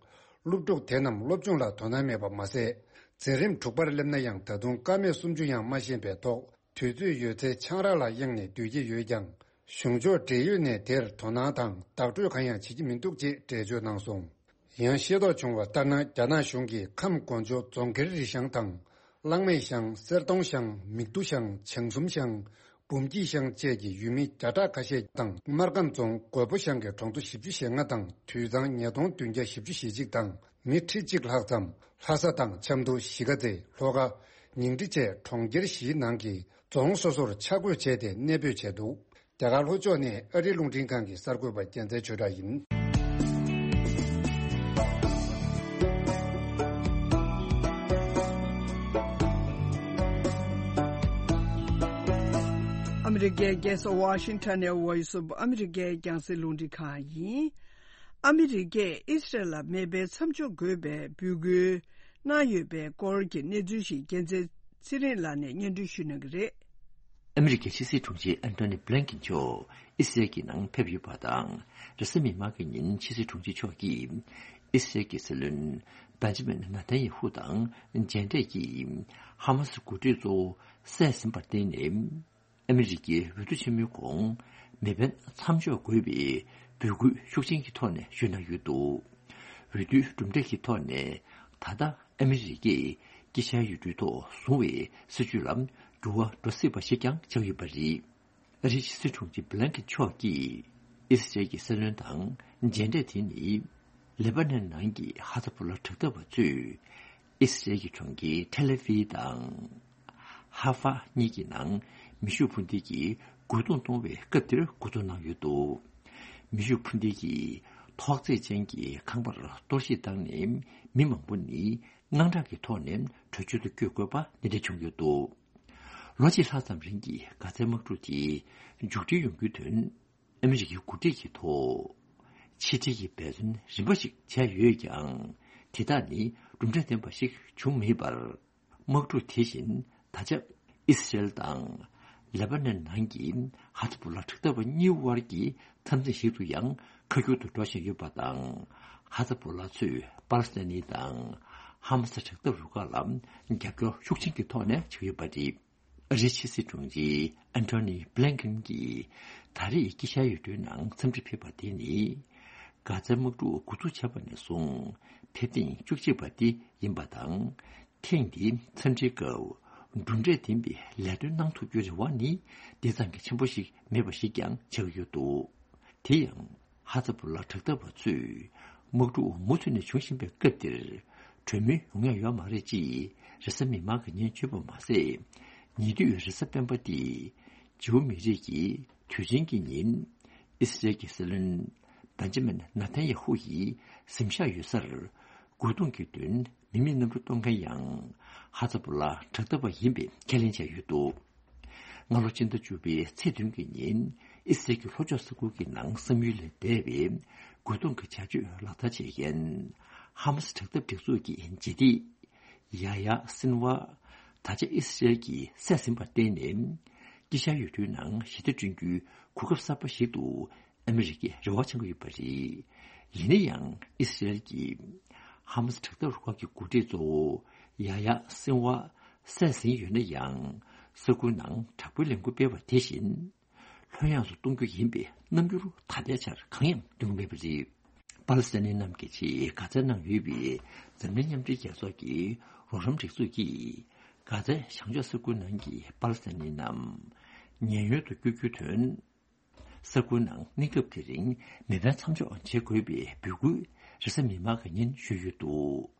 སློབ་ཕྲུག་དེ་རྣམས་སློབ་སྦྱོང་ལ་དོ་སྣང་མེད་པ་མ་ཟད། འཛིན་རིམ་དྲུག་པར་སླེབས་ན་ཡང་ད་དུང་ཀ་མད་སུམ་ཅུ་ཡང་མ་ཤེས་པའི་ཐོག་དུས་ཚོད་ཡོད་ཚད་ཆང་རག་ལ་གཡེང་ནས་སྡོད་ཀྱི་ཡོད་ཀྱང་། གཞུང་ཕྱོགས་འབྲེལ་ཡོད་ནས་དེར་དོ་སྣང་དང་བདག་སྤྲོད་གང་ཡང་བྱེད་ཀྱི་མི་འདུག་ཅེས་འགྲེལ་བརྗོད་གནང་སོང་། ཡང་ཤེས་རྟོགས་བྱུང་བ་ལྟར་ན། རྒྱ་ནག་གཞུང་གིས་ཁམས་གོ་འཇོ་རྫོང་ཁེར་རི་ཤང་དང་། གླང་མེད་ཤང་། གསེར་གདོང་ཤང་། མིག་ཏུ་ཤང་། བྱང་གསུམ་ཤང་། འབུམ་སྐྱིད་ཤང་བཅས་ཀྱི་ཡུལ་མི་བརྒྱ་ཕྲག་ཁ་ཤས་དང་། སྨར་ཁམས་རྫོང་རྒོད་པོ་ཤང་གི་གྲོང་ཚོ་བཞི་བཅུ་ཞེ་ལྔ་དང་དུད་ཚང་ཉིས་སྟོང་བདུན་བརྒྱ་བཞི་བཅུ་ཞེ་གཅིག་དང་མི་ཁྲི་གཅིག་ལྷག་ཙམ་ལྷ་ས་དང་ཆབ་མདོ། གཞིས་ཀ་རྩེ། ལྷོ་ཁ། ཉིང་ཁྲི་བཅས་གྲོང་ཁྱེར་བཞིའི་ནང་གི་རྫོང་སོ་སོར་ཆ་བགོས་བྱས་ཏེ་གནས་སྤོས་བྱས་འདུག་རྒྱ་གར་ལྷོ་ཕྱོགས་ནས་ཨ་རིའི་རླུང་འཕྲིན་ཁང་གི་གསར་འགོད་པ་རྒྱལ་མཚན་ཆོས་གྲགས་ཡིན། ཨ་མི་རི་ཀའི་རྒྱལ་ས་ཝ་ཤིང་ཊོན་ནས་Voice of America་རྒྱང་སྲིང་རླུང་འཕྲིན་ཁང་ཡིན། ཨ་མི་རི་ཀས་ཨི་སི་རལ་ལ་མེ་འཕེན་མཚམས་འཇོག་དགོས་པའི་འབོད་སྐུལ་གནང་ཡོད་པའི་སྐོར་གྱི་གནས་ཚུལ་ཞིག་རྒྱལ་མཚན་ཚེ་རིང་ལགས་ནས་སྙན་སྒྲོན་ཞུ་གནང་གི་རེད། ཨ་མི་རི་ཀའི་ཕྱི་སྲིད་དྲུང་ཆེ་ཨན་ཐོ་ནི་བྷི་ལན་ཀིན་མཆོག་ཨི་སི་རལ་གྱི་ནང་ཕེབས་ཡོད་པ་དང་། རེས་གཟའ་མིག་དམར་གྱི་ཉིན་ཕྱི་སྲིད་དྲུང་ཆེ་མཆོག་གིས་ཨི་སི་རལ་གྱི་སྲིད་བློན་བེན་ཇ་མིན་ནེ་ཐན་ཡ་ཧུ་དང་མཇལ་འཕྲད་ཀྱིས། ཧ་མ་སི་འགོ་ཁྲིད་གཙོ་བོ་བསད་ཟིན་པར་བརྟེན་ནས། ཨ་མི་རི་ཀའི་འོས་བསྡུ་ཆེན་མོའི་གོང་མེ་འཕེན་མཚམས་འཇོག་དགོས་པའི་འབོད་སྐུལ་ཤུགས་ཆེན་གྱི་ཐོག་ནས་ཞུས་གནང་ཡོད་འདུག་འོས་བསྡུའི་གྲུབ་འབྲས་ཀྱི་ཐོག་ནས་ད་ལྟ་ཨ་མི་རི་ཀས་དཀྱིལ་ཆར་ཡུལ་གྲུའི་ཐོག་བཟུང་བའི་སྲིད་བྱུས་ལ་འགྱུར་བ་འགྲོ་སྲིད་པ་ཞིག་ཀྱང་ཆགས་ཡོད་པ་རེད། ཨ་རིའི་ཕྱི་སྲིད་དྲུང་ཆེ་བྷི་ལན་ཀིན་མཆོག་གིས་ཨི་སི་རལ་གྱི་སྲིད་བློན་དང་མཇལ་འཕྲད་དེ་ནི། ལེ་པ་ནན་ནང་གི་ཧ་ཛ་བྷོ་ལ་དྲག་འཐབ་པ་ཚོས་ཨི་སི་རལ་གྱི་གྲོང་ཁྱེར་ཐེལ་ཨ་ཝི་དང་། ཧ་ཧྥ་གཉིས་ཀྱི་ནང་མེ་ཤུགས་འཕུར་མདེལ་གྱིས་རྒོལ་རྡུང་གཏོང་བའི་སྐབས་དེར་འགོ་འཛུགས་གནང་ཡོད་འདུག་མེ་ཤུགས་འཕུར་མདེལ་གྱིས་ཐོག་བརྩེགས་ཅན་གྱི་ཁང་པར་གཏོར་བཤིག་བཏང་ནས། མི་མང་པོ་ནི་དངངས་སྐྲག་གི་ཐོག་ནས་བྲོས་བྱོལ་དུ་བསྐྱོད་དགོས་པ་འདི་འདྲ་བྱུང་ཡོད་འདུག་ལོ་གཅིག་ལྷག་ཙམ་རིང་གི་གྷ་ཛའི་དམག་འཁྲུག་དེ་མཇུག་སྒྲིལ་ཡོང་རྒྱུའི་དོན། ཨ་མི་རི་ཀའི་འགོ་ཁྲིད་ཀྱི་ཐོག་ཕྱི་འབྲེལ་གྱི་འབད་བརྩོན་རིམ་པ་ཞིག་བྱས་ཡོད་ཀྱང་། དེ་དག་ནི་གྲུབ་འབྲས་ལྡན་པ་ཞིག་བྱུང་མེད་པར། དམག་འཁྲུག་དེ་བཞིན་ད་ཆ་ཨི་སི་རལ་དང་ ལེ་པ་ནན་ནང་གི་ཧ་ཛ་བྷོ་ལ་དྲག་འཐབ་པ་གཉིས་དབར་གྱི་འཐབ་འཛིང་ཞིག་ཏུ་ཡང་ཁ་སྒྱུར་དུ་འགྲོ་བཞིན་ཡོད་པ་དང་། ཧ་ཛ་བྷོ་ལ་ཚོས་པ་ལི་སི་ཐན་ནི་དང་ཧ་མ་སི་དྲག་འཐབ་རུ་ཁག་ལ་རྒྱབ་སྐྱོར་ཤུགས་ཆེན་གྱི་ཐོག་ནས་བྱེད་ཀྱི་ཡོད་པ་རེད། ཨ་རིའི་ཕྱི་སྲིད་དྲུང་ཆེ་ཨན་ཐོ་ནི་བྷི་ལིན་ཀེན་གྱིས་ད་རེས་དཀྱིལ་ཤར་ཡུལ་གྲུའི་ནང་འཚམས་འདྲི་ཕེབས་པ་དེ་ནི། གྷ་ཛའི་དམག་འཁྲུག་འགོ་འཛུགས་བྱས་པ་ནས་བཟུང་ཕེབས་ཐེངས་བཅུ་གཅིག་པ་དེ་ཡིན་པ་དང་། ཐེངས་འདིའི་འཚམས་འདྲིའི་སྐབས་གྲུབ་འབྲས་ལྡན་པའི་ལས་དོན་གནང་ཐུབ་རྒྱུའི་རེ་བ་ནི་དེ་ཙམ་གྱི་ཆེན་པོ་ཞིག་མེད་པ་ཞིག་ཀྱང་ཆགས་ཀྱི་ཡོད་འདུག་དེ་ཡང་། ཧ་ཛ་བྷོ་ལ་དྲག་འཐབ་པ་ཚོས་དམག་འཁྲུག་མུ་མཐུད་ནས་འབྱུང་བཞིན་པའི་སྐབས་འདིར། གྲོས་མོལ་ཡོང་ཡ་ཡོད་མ་རེད་ཅེས་རེས་གཟའ་མིག་དམར་གྱི་ཉིན་བརྗོད་པ་མ་ཟད། ཉེ་དུས་རེས་གཟའ་སྤེན་པ་སྟེ། ཇིའུ་མི་རིགས་ཀྱི་དུས་ཆེན་གྱི་ཉིན། ཨི་སི་རེལ་གྱི་སྲིད་བློན་བེན་ཇ་མིན་ནཱ་ཐན་ཡ་ཧུ་ཡི་གཟིམ་ཤག་ཡོད་སར། རྒོལ་རྡུང་གི་དོན་མི་མེད་གནམ་གྲུ་གཏོང་མཁན་ཡང་། ཧ་ཛ་བྷོ་ལ་དྲག་འཐབ་པ་ཡིན་པའི་ཁས་ལེན་བྱས་ཡོད་འདུག་སྔ་ལོ་སྤྱི་ཟླ་བཅུ་པའི་ཚེས་བདུན་གྱི་ཉིན། ཨི་སི་རལ་གྱི་ལྷོ་ཕྱོགས་ས་ཁུལ་གྱི་ནང་བསམ་ཡུལ་ལས་འདས་པའི་རྒོལ་རྡུང་གི་བྱ་སྤྱོད་ལག་བསྟར་བྱེད་མཁན། ཧ་མ་སི་དྲག་འཐབ་སྒྲིག་འཛུགས་ཀྱི་ལྗིད་ཏིག་ཡ་ཡ་སིན་ཝ། ད་ཆ་ཨི་སི་རལ་གྱིས་བསད་ཟིན་པར་བརྟེན་ནས། དཀྱིལ་ཤར་ཡུལ་གྲུའི་ནང་ཞི་བདེ་བསྐྲུན་རྒྱུའི་གོ་སྐབས་གསར་པ་ཞིག་ཏུ། ཨ་མི་རི་ཀས་རེ་བ་བཅངས་ཀྱི་ཡོད་པ་རེད། ཡིན་ན་ཡང་ཨི་སི་རལ་གྱིས་ཧ་མ་སི་དྲག་འཐབ་རུ་ཁག་གི་འགོ་ཁྲིད་གཙོ་བོ་ཡ་ཡ་སིན་ཝ་བསད་ཟིན་ཡོད་ན་ཡང་། ས་ཁུལ་ནང་དྲག་པོའི་ལས་འགུལ་སྤེལ་བ་དེ་བཞིན། ལྷོད་ཡངས་སུ་གཏོང་རྒྱུ་ཡིན་པའི་རྣམ་འགྱུར་ད་ལྟའི་ཆར་གང་ཡང་སྟོན་གྱི་མེད་པ་རེད། པ་ལི་སི་ཐན་རྣམས་ཀྱི་ཆེད་གྷ་ཛའི་ནང་ཡོད་པའི་འཛམ་གླིང་མཉམ་འབྲེལ་རྒྱལ་ཚོགས་ཀྱི་རོགས་རམ་སྒྲིག་འཛུགས་ཀྱིས། གྷ་ཛའི་བྱང་ཕྱོགས་ས་ཁུལ་ནང་གི་པ་ལི་སི་ཐན་རྣམས་ཉེན་གཡོལ་དུ་བསྐྱོད་རྒྱུའི་དོན། ས་ཁུལ་ནང་གནས་སྐབས་དེ་རིང་མེ་འཕེན་མཚམས་འཇོག་བྱེད་དགོས་པའི་འབོད་སྐུལ་རེས་གཟའ་མིག་དམར་གྱི་ཉིན་ཞུས་ཡོད་འདུག་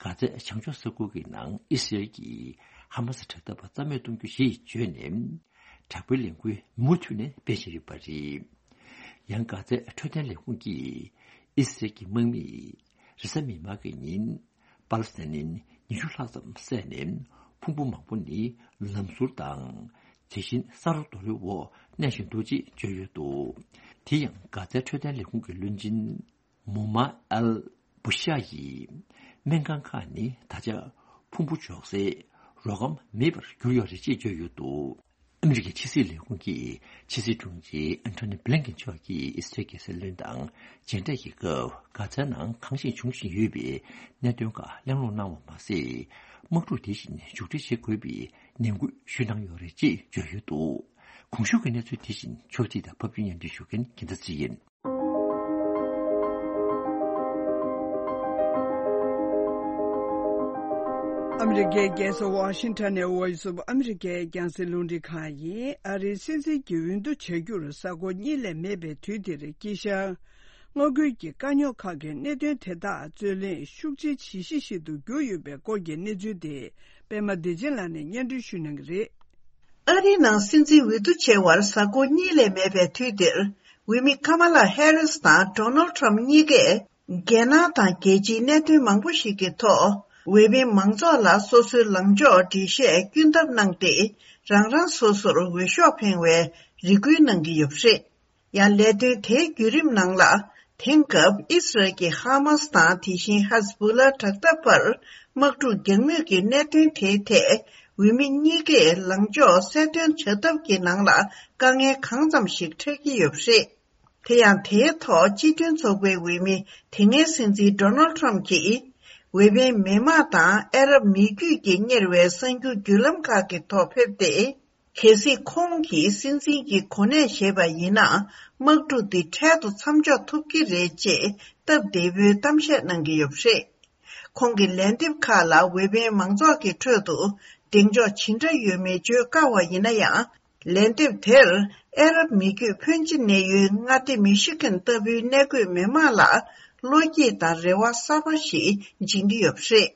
གྷ་ཛའི་བྱང་ཕྱོགས་ས་ཁུལ་གྱི་ནང་ཨི་སི་རལ་གྱིས་ཧ་མ་སི་དྲག་འཐབ་པ་རྩ་མེད་གཏོང་རྒྱུ་ཞེས་བརྗོད་ནས། དྲག་པོའི་ལས་འགུལ་མུ་མཐུད་ནས་སྤེལ་བཞིན་ཡོད་པ་རེད། ཡང་། གྷ་ཛའི་འཕྲོད་བསྟེན་ལས་ཁུངས་ཀྱིས་ཨི་སི་རལ་གྱི་དམག་མིས་རེས་གཟའ་མིག་དམར་གྱི་ཉིན། པ་ལི་སི་ཐན་ཉིན་ཉི་ཤུ་ལྷག་ཙམ་བསད་ནས། ཕུང་པོ་མང་པོ་ནི་ལམ་ཟུར་དང་། དེ་བཞིན་ས་རོ་རྡོ་རིང་འོག་གནས་བཞིན་འདུག་ཅེས་བརྗོད་ཡོད་འདུག་དེ་ཡང་། གྷ་ཛའི་འཕྲོད་བསྟེན་ལས་ཁུངས་ཀྱི་བློན་ཆེན་མོ་མ་ཨལ་བུ་ཤ་ཡིས། སྨན་ཁང་ཁག་ནི་ད་ཆ་ཕུང་པོ་འཇོག་སའི་རོ་སྒམ་མེད་པར་གྱུར་ཡོད་རེད་ཅེས་བརྗོད་ཡོད་འདུག་ཨ་མི་རི་ཀའི་ཕྱི་སྲིད་ལས་ཁུངས་ཀྱི་ཕྱི་སྲིད་དྲུང་ཆེ་ཨན་ཐོ་ནི་བྷི་ལིན་ཀེན་མཆོག་གིས་ཨི་སི་རལ་གྱི་སྲིད་བློན་དང་མཇལ་འཕྲད་ཀྱི་སྐབས། གྷ་ཛའི་ནང་གང་ཞིག་འབྱུང་བཞིན་ཡོད་པའི་གནད་དོན་ཁག་གླེང་སློང་གནང་བ་མ་ཟད། དམག་འཁྲུག་དེ་བཞིན་མཇུག་སྒྲིལ་བྱེད་དགོས་པའི་ནན་སྐུལ་ཞུས་གནང་ཡོད་རེད་ཅེས་བརྗོད་ཡོད་འདུག་གོང་ཞུས་ཀྱི་གནས་ཚུལ་དེ་བཞིན་ཕྱོགས་སྒྲིག་དང་ཕབ་སྒྱུར་སྙན་སྒྲོན་ཞུ་མཁན་རྒྱལ་མཚན་ཚེ་ཡིན། ཨ་མི་རི་ཀའི་རྒྱལ་ས་ཝ་ཤིང་ཊོན་ནས་ཝོ་ཡིས་ཨོཕ་ཨ་མི་རི་ཀའི་རྒྱང་སྲིང་རླུང་འཕྲིན་ཁང་ཡིན། ཨ་རིའི་སྲིད་འཛིན་གྱི་འོས་བསྡུ་བྱ་རྒྱུར་གཟའ་འཁོར་གཉིས་ལས་མེད་པའི་དུས་འདིར། དཀྱིལ་ཤར་མངའ་ཁུལ་གྱི་དཀའ་རྙོག་ཁག་གི་གནད་དོན་དེ་དག་རྩོད་གླེང་ཤུགས་ཆེའི་བྱེད་གཞི་ཞིག་ཏུ་གྱུར་ཡོད་པའི་སྐོར་གྱི་གནས་ཚུལ་དེ། པད་མ་བདེ་ཆེན་ལགས་ནས་སྙན་སྒྲོན་ཞུ་གནང་གི་རེད། ཨ་རིའི་ནང་སྲིད་འཛིན་འོས་བསྡུ་བྱེད་པར་གཟའ་འཁོར་གཉིས་ལས་མེད་པའི་དུས་འདིར། འོས་མི་ཀ་མ་ལ་ཧེ་རིས་དང་ཌོ་ནལ་ཊམ་གཉིས་ཀས། རྒྱལ་ནང་དང་རྒྱལ་སྤྱིའི་གནད་དོན་མང་པོ་ཞིག་གི་ཐོག་འོས་འཕེན་མང་ཚོགས་ལ་སོ་སོའི་ལངས་ཕྱོགས་འགྲེལ་བཤད་སྐྱོན་ཐབས་གནང་སྟེ། རང་རང་སོ་སོར་འོས་ཤོག་འཕེན་པའི་རེ་སྐུལ་གནང་གི་ཡོད་པ་རེད། ཡང་། ལས་དོན་དེའི་བརྒྱུད་རིམ་ནང་ལ། དེང་སྐབས་ཨི་སི་རལ་གྱི་ཧ་མ་སི་དང་། དེ་བཞིན་ཧ་ཛ་བྷོ་ལ་དྲག་འཐབ་བར་དམག་འཁྲུག་རྒྱག་མུས་ཀྱི་གནད་དོན་དེའི་ཐད། འོས་མི་གཉིས་ཀས་ལངས་ཕྱོགས་གསལ་སྟོན་བྱ་ཐབས་ཀྱི་ནང་ལ་དཀའ་ངལ་གང་ཙམ་ཞིག་འཕྲད་ཀྱི་ཡོད་པ་རེད། དེ་ཡང་། དེའི་ཐོག་སྤྱི་མཐུན་ཚོགས་པའི་འོས་མི་དེ་སྔའི་སྲིད་འཛིན་ཌོ་ནལ་ཊམ་གྱིས། འོས་འཕེན་མི་དམངས་དང་ཨ་རབ་མི་རྒྱུད་ཀྱིས་གཉེར་བའི་གསར་འགྱུར་བརྒྱུད་ལམ་ཁག་གི་ཐོག་ཕེབས་ཏེ། གལ་སྲིད་ཁོང་གིས་སྲིད་འཛིན་གྱི་གོ་གནས་བཞེས་པ་ཡིན་ན། དམག་འཁྲུག་འདི་འཕྲལ་དུ་མཚམས་འཇོག་ཐུབ་ཀྱི་རེད་ཅེས་སྟབས་བདེ་པོའི་གཏམ་བཤད་གནང་གི་ཡོད་པ་རེད། ཁོང་གི་ལན་འདེབས་ཁག་ལ་འོས་འཕེན་མང་ཚོགས་ཀྱི་ཁྲོད་དུ་གདེང་འཇོག་ཇི་འདྲ་ཡོད་མེད་བརྗོད་དཀའ་བ་ཡིན་ན་ཡང་། ལན་འདེབས་དེར་ཨ་རབ་མི་རྒྱུད་ཕོན་ཆེ་གནས་ཡུལ་མངའ་སྡེ་མི་ཤི་གན་ལྟ་བུའི་གནས་འཁོད་མི་མང་ལ་བློ་སྐྱེད་དང་རེ་བ་གསར་པ་ཞིག་སྦྱིན་གྱི་ཡོད་པ་རེད།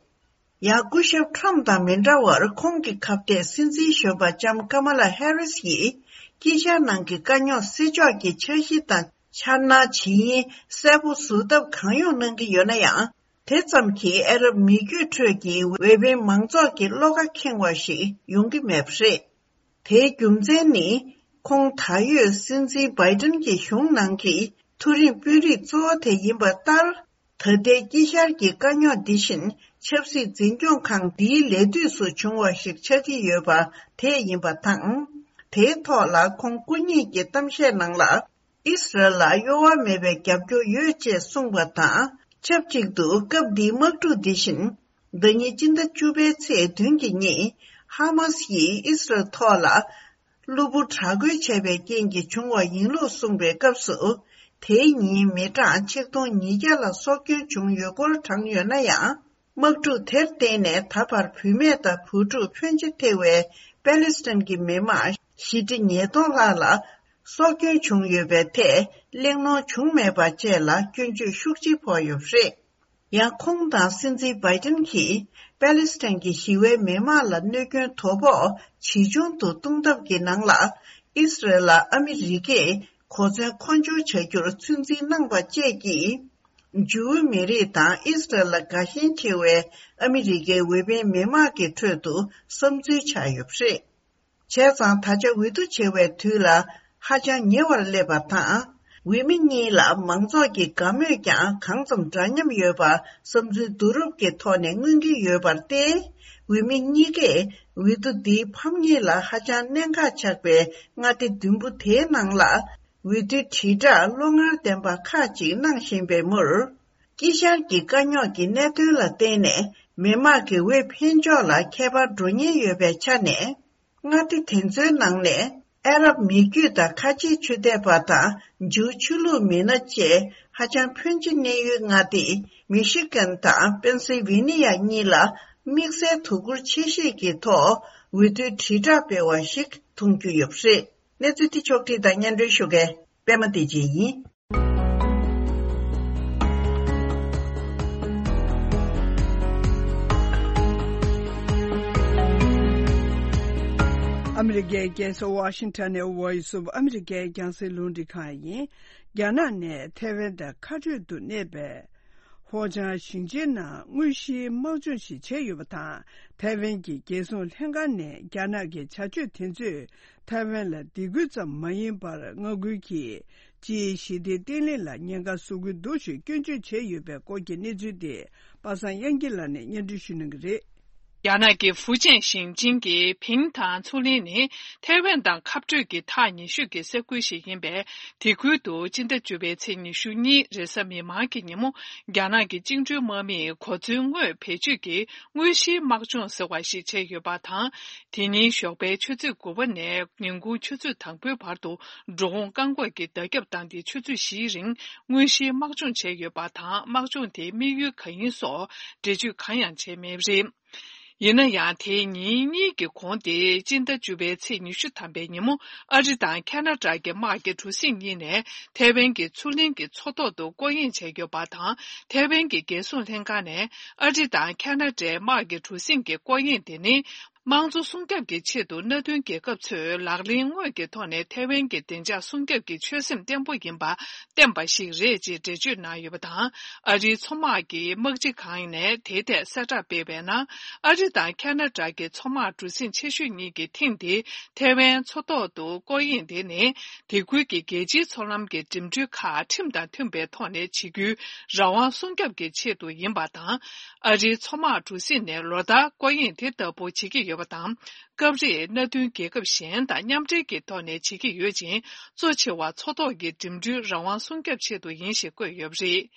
ཡང་། སྐུ་ཞབས་ཊམ་དང་མི་འདྲ་བར། ཁོང་གི་ཁ་གཏད་སྲིད་འཛིན་གཞོན་པ་ལྕམ་ཀ་མ་ལ་ཧེ་རིས་ཡིས། དཀྱིལ་ཤར་ནང་གི་དཀའ་རྙོག་སེལ་ཕྱོགས་ཀྱི་འཆར་གཞི་དང་འཆར་སྣང་ཇི་ཡིན་གསལ་པོ་བཟོ་ཐབས་གང་ཡོང་གནང་གི་ཡོད་ན་ཡང་། དེ་ཙམ་གྱིས་ཨ་རབ་མི་རྒྱུད་ཁྲོད་ཀྱི་འོས་འཕེན་མང་ཚོགས་ཀྱི་བློ་ཁ་ཁེངས་པ་ཞིག་ཡོང་གི་མེད་པ་རེད། དེའི་རྒྱུ་མཚན་ནི། ཁོང་ད་ཡོད་སྲིད་འཛིན་བྷའི་ཏིན་གྱི་གཞུང་ནང་གི་མཐོ་རིམ་དཔོན་རིགས་གཙོ་བོ་དེ་ཡིན་པ་ལྟར། ད་ལྟའི་དཀྱིལ་ཤར་གྱི་དཀའ་རྙོག་འདི་བཞིན་ཆབ་སྲིད་འཛིན་སྐྱོང་ཁང་འདིའི་ལས་དུས་སུ་བྱུང་བ་ཞིག་ཆགས་ཀྱི་ཡོད་པ་དེ་ཡིན་པ་དང་། དེའི་ཐོག་ལ་ཁོང་སྐུ་ཉིད་ཀྱི་གཏམ་བཤད་ནང་ལ། ཨིས་རལ་ལ་གཡོ་བ་མེད་པའི་རྒྱབ་སྐྱོར་ཡོད་ཅེས་གསུངས་པ་དང་ཆབས་ཅིག་ཏུ། སྐབས་འདིའི་དམག་འཁྲུག་འདི་བཞིན་ཟླ་ཉིན་སྤྱི་ཟླ་བཅུ་པའི་ཚེས་བདུན་གྱི་ཉིན་ཧ་མཱ་སི་ཡིས་ཨིས་རལ་ཐོག་ལ་གློ་བུར་དྲག་རྒོལ་བྱས་པའི་རྐྱེན་གྱིས་བྱུང་བ་ཡིན་ལུགས་གསུངས་པའི་སྐབས་སུ། དེའི་ཉིན་མི་གྲངས་ཆིག་སྟོང་ཉིས་བརྒྱ་ལ་སྲོག་སྐྱོན་བྱུང་ཡོད་སྐོར་བགྲངས་ཡོད་ན་ཡང་། དམག་འཁྲུག་དེར་བརྟེན་ནས་ད་བར་བུད་མེད་དང་བུ་ཕྲུག་ཕོན་ཆེ་ཐེ་བའི་པེ་ལི་སི་ཐན་གྱི་མི་དམངས་བཞི་ཁྲི་ཉིས་སྟོང་ལྷག་ལ་སྲོག་སྐྱོན་བྱུང་ཡོད་པའི་ཐད་གླེང་སློང་བྱུང་མེད་པ་བཅས་ལ་སྐྱོན་བརྗོད་ཤུགས་ཆེ་ཕོག་ཡོད་པ་རེད། ཡང་ཁོང་དང་སྲིད་འཛིན་བྷའི་ཏིན་གྱིས་པེ་ལི་སི་ཐན་གྱི་ཞི་བའི་མི་དམངས་ལ་གནོད་སྐྱོན་དོ་ཕོག་ཇི་བྱུང་དུ་གཏོང་ཐབས་ཀྱི་ནང་ལ། ཨིས་རལ་ལ་ཨ་མི་རི་ཀས་གོ་མཚོན་མཁོ་སྦྱོར་བྱ་རྒྱུར་ཚོད་འཛིན་གནང་པ་བཅས་ཀྱིས། ཇུའུ་མི་རིགས་དང་ཨིས་རལ་ལ་དགའ་ཞེན་ཆེ་བའི་ཨ་མི་རི་ཀའི་འོས་འཕེན་མི་དམངས་ཀྱི་ཁྲོད་དུ་བསམ་ཚུལ་ཆགས་ཡོད་པ་རེད། བྱས་ཙང་ད་ཆ་འོས་བསྡུ་བྱེད་པའི་དུས་ལ་ཧ་ཅང་ཉེ་བར་སླེབས་པ་དང་། འོས་མི་གཉིས་ལ་མང་ཚོགས་ཀྱི་དགའ་མོས་ཀྱང་གང་ཙམ་འདྲ་མཉམ་ཡོད་པ་བསམ་ཚུལ་བསྡུ་རུབ་ཀྱི་ཐོག་ནས་མངོན་གྱི་ཡོད་པར་བརྟེན། འོས་མི་གཉིས་ཀས་འོས་བསྡུ་འདིའི་ཕམ་ཉེས་ལ་ཧ་ཅང་གནད་འགག་ཆགས་པའི་མངའ་སྡེ་བདུན་པོ་དེའི་ནང་ལ། འོས་བསྡུའི་དྲིལ་བསྒྲགས་བློ་ངར་ལྡན་པ་ཁག་ཅིག་གནང་བཞིན་པའི་མུར། དཀྱིལ་ཤར་གྱི་དཀའ་རྙོག་གི་གནད་དོན་ལ་བརྟེན་ནས་མི་དམངས་ཀྱི་འོས་འཕེན་ཕྱོགས་ལ་ཁྱད་པར་འགྲོ་ཉེན་ཡོད་པའི་ཆ་ནས། མངའ་སྡེ་དེ་ཚོའི་ནང་ནས་ཨ་རབ་མི་རྒྱུད་དང་ཁ་ཆེའི་ཆོས་དད་པ་དང་ཇུའུ་ཆོས་ལུགས་མི་སྣ་བཅས་ཧ་ཅང་ཕོན་ཆེ་གནས་ཡུལ་མངའ་སྡེ་མི་ཤི་གན་དང་པེན་སིལ་ཝེ་ནི་ཡ་གཉིས་ལ་དམིགས་བསལ་དོ་ཁུར་ཆེ་བཞེས་ཀྱི་ཐོག་འོས་བསྡུའི་དྲིལ་བསྒྲགས་སྤེལ་བ་ཞིག་མཐོང་རྒྱུ་ཡོད་པ་རེད། གནས་ཚུལ་འདི་ཕྱོགས་བསྒྲིགས་དང་སྙན་སྒྲོན་ཞུ་མཁན་པད་མ་བདེ་ཆེན་ཡིན། ཨ་མི་རི་ཀའི་རྒྱལ་ས་ཝ་ཤིང་ཊོན་ནས་Voice of America རྒྱང་སྲིང་རླུང་འཕྲིན་ཁང་ཡིན། རྒྱ་ནག་ནས་ཐའེ་ཝན་དང་ཁ་སྤྲོད་དུ་གནས་པའི་ཧོ་ཅང་ཞིང་ཆེན་ནང་དངོས་གཞིའི་དམག་སྦྱོང་ཞིག་བྱས་ཡོད་པ་དང་། ཐའེ་ཝན་གྱི་རྒྱལ་སྲུང་ལྷན་ཁང་ནས་རྒྱ་ནག་གི་བྱ་སྤྱོད་དེ་ཚོས་ཐའེ་ཝན་ལ་སྡིགས་སྐུལ་ཙམ་མ་ཡིན་པར་མངའ་ཁུལ་གྱི་སྤྱིའི་ཞི་བདེ་བརྟན་ལྷིང་ལ་ཉེན་ཁ་བཟོ་གི་འདུག་ཞེས་སྐྱོན་བརྗོད་བྱས་ཡོད་པའི་སྐོར་གྱི་གནས་ཚུལ་དེ་པ་སངས་དབྱངས་སྐྱིད་ལགས་ནས་སྙན་སྒྲོན་ཞུ་གནང་གི་རེད། རྒྱ་ནག་གི་ཧྥུ་ཅན་ཞིང་ཆེན་གྱི་ཕིང་ཐང་མཚོ་གླིང་ནི་ཐའེ་ཝན་དང་ཁ་སྤྲོད་ཀྱི་ཐག་ཉེ་ཤོས་ཀྱི་ས་ཁུལ་ཞིག་ཡིན་པས། དེ་ཁུལ་དུ་སྤྱི་ཟླ་བཅུ་པའི་ཚེས་ཉི་ཤུ་གཉིས་རེས་གཟའ་མིག་དམར་གྱི་ཉིན་མོ། རྒྱ་ནག་གི་བཅིངས་འགྲོལ་དམག་མིས་གོ་མཚོན་དངོས་བེད་སྤྱོད་ཀྱིས་དངོས་གཞིའི་དམག་སྦྱོང་ཟེར་བ་ཞིག་བྱས་ཡོད་པ་དང་། དེ་ཉིན་ཞོགས་པའི་ཆུ་ཚོད་དགུ་པ་ནས་ཉིན་གུང་ཆུ་ཚོད་དང་པོའི་བར་དུ་འགྲོ་འོང་བཀག་འགོག་གི་བརྡ་ཁྱབ་བཏང་སྟེ། ཆུ་ཚོད་བཞིའི་རིང་དངོས་གཞིའི་དམག་སྦྱོང་བྱས་ཡོད་པ་དང་། དམག་སྦྱོང་དེའི་དམིགས་ཡུལ་གང་ཡིན་སོགས་འགྲེལ་བརྗོད་གང་ཡང་བྱས་མེད་པ་རེད། ཡིན་ན་ཡང་། དེའི་ཉིན་གཉིས་ཀྱི་གོང་སྟེ། སྤྱི་ཟླ་བཅུ་པའི་ཚེས་ཉི་ཤུ་ཐམ་པའི་ཉིན་མོ། ཨ་རི་དང་ཁ་ན་ཌ་གི་དམག་གི་གྲུ་གཟིངས་གཉིས་ནས་ཐའེ་ཝན་གྱི་མཚོ་གླིང་གི་མཚོ་ཐོག་ཏུ་སྐོར་གཡེང་བྱས་ཡོད་པ་དང་། ཐའེ་ཝན་གྱི་རྒྱལ་སྲུང་ལྷན་ཁང་ནས་ཨ་རི་དང་ཁ་ན་ཌའི་དམག་གི་གྲུ་གཟིངས་ཀྱི་སྐོར་གཡེང་དེ་ནི། དམངས་གཙོ་སྲུང་སྐྱོབ་ཀྱི་ཆེད་དུ་མནའ་མཐུན་རྒྱལ་ཁབ་ཚོས་ལག་ལེན་དངོས་ཀྱི་ཐོག་ནས་ཐའེ་ཝན་གྱི་བདེ་འཇགས་སྲུང་སྐྱོབ་ཀྱི་ཆོད་སེམས་བརྟན་པོ་ཡིན་པ་བསྟན་པ་ཞིག་རེད་ཅེས་འགྲེལ་བརྗོད་གནང་ཡོད་པ་དང་། ཨ་རིའི་མཚོ་དམག་གི་དམག་སྤྱི་ཁང་ནས་དེའི་ཐད་གསལ་བསྒྲགས་སྤེལ་བའི་ནང་། ཨ་རི་དང་ཁ་ན་ཌ་གི་མཚོ་དམག་གྲུ་གཟིངས་ཆེ་ཤོས་གཉིས་ཀྱི་ཐེངས་འདིའི་ཐའེ་ཝན་མཚོ་ཐོག་ཏུ་སྐོར་གཡེང་དེ་ནི། དེ་ཁུལ་གྱི་རྒྱལ་སྤྱིའི་མཚོ་ལམ་གྱི་འགྲིམ་འགྲུལ་ཁག་ཁྲིམས་དང་མཐུན་པའི་ཐོག་ནས་བྱེད་རྒྱུའི་རང་དབང་སྲུང་སྐྱོབ་ཀྱི་ཆེད་དུ་ཡིན་པ་དང་། ཨ་རིའི་མཚོ་དམག་གྲུ་གཟིངས་ནས་ལོ་ལྟར་སྐོར་གཡེང་དེ་ལྟ་བུ་བྱེད་ཀྱི་ཡོད་པ་དང་། སྐབས་རེ་མནའ་མཐུན་རྒྱལ་ཁབ་གཞན་དང་མཉམ་འབྲེལ་གྱི་ཐོག་ནས་བྱེད་ཀྱི་ཡོད་ཅིང་། གཙོ་ཆེ་བ་མཚོ་ཐོག་གི་འགྲིམ་འགྲུལ་རང་དབང་སྲུང་སྐྱོབ་ཆེད་དུ་ཡིན་ཞེས་བཀོད་ཡོད་པ་རེད།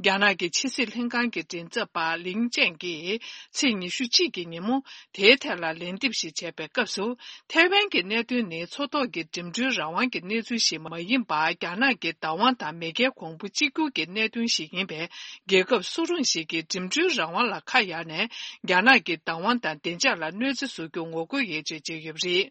རྒྱ་ནག་གི་ཕྱི་སྲིད་ལྷན་ཁང་གི་མགྲིན་ཚབ་པ་ལིང་ཅན་གྱིས་ཚེས་ཉི་ཤུ་གཅིག་གི་ཉིན་མོ། དེའི་ཐད་ལ་ལན་འདེབས་ཤིག་བྱས་པའི་སྐབས་སུ། ཐའེ་ཝན་གྱི་གནད་དོན་ནི་མཚོ་ཐོག་གི་འགྲིམ་འགྲུལ་རང་དབང་གི་གནས་ཚུལ་ཞིག་མ་ཡིན་པར། རྒྱ་ནག་གི་བདག་དབང་དང་མེས་རྒྱལ་གོང་བུ་གཅིག་གྱུར་གྱི་གནད་དོན་ཞིག་ཡིན་པས། རྒྱལ་ཁབ་སུ་རུང་ཞིག་གིས་འགྲིམ་འགྲུལ་རང་དབང་ལ་ཁ་གཡར་ནས། རྒྱ་ནག་གི་བདག་དབང་དང་བདེ་འཇགས་ལ་གནོད་འཚེ་བཟོ་རྒྱུ་ངོ་རྒོལ་ཡོད་ཅེས་བརྗོད་ཡོད་པ་རེད།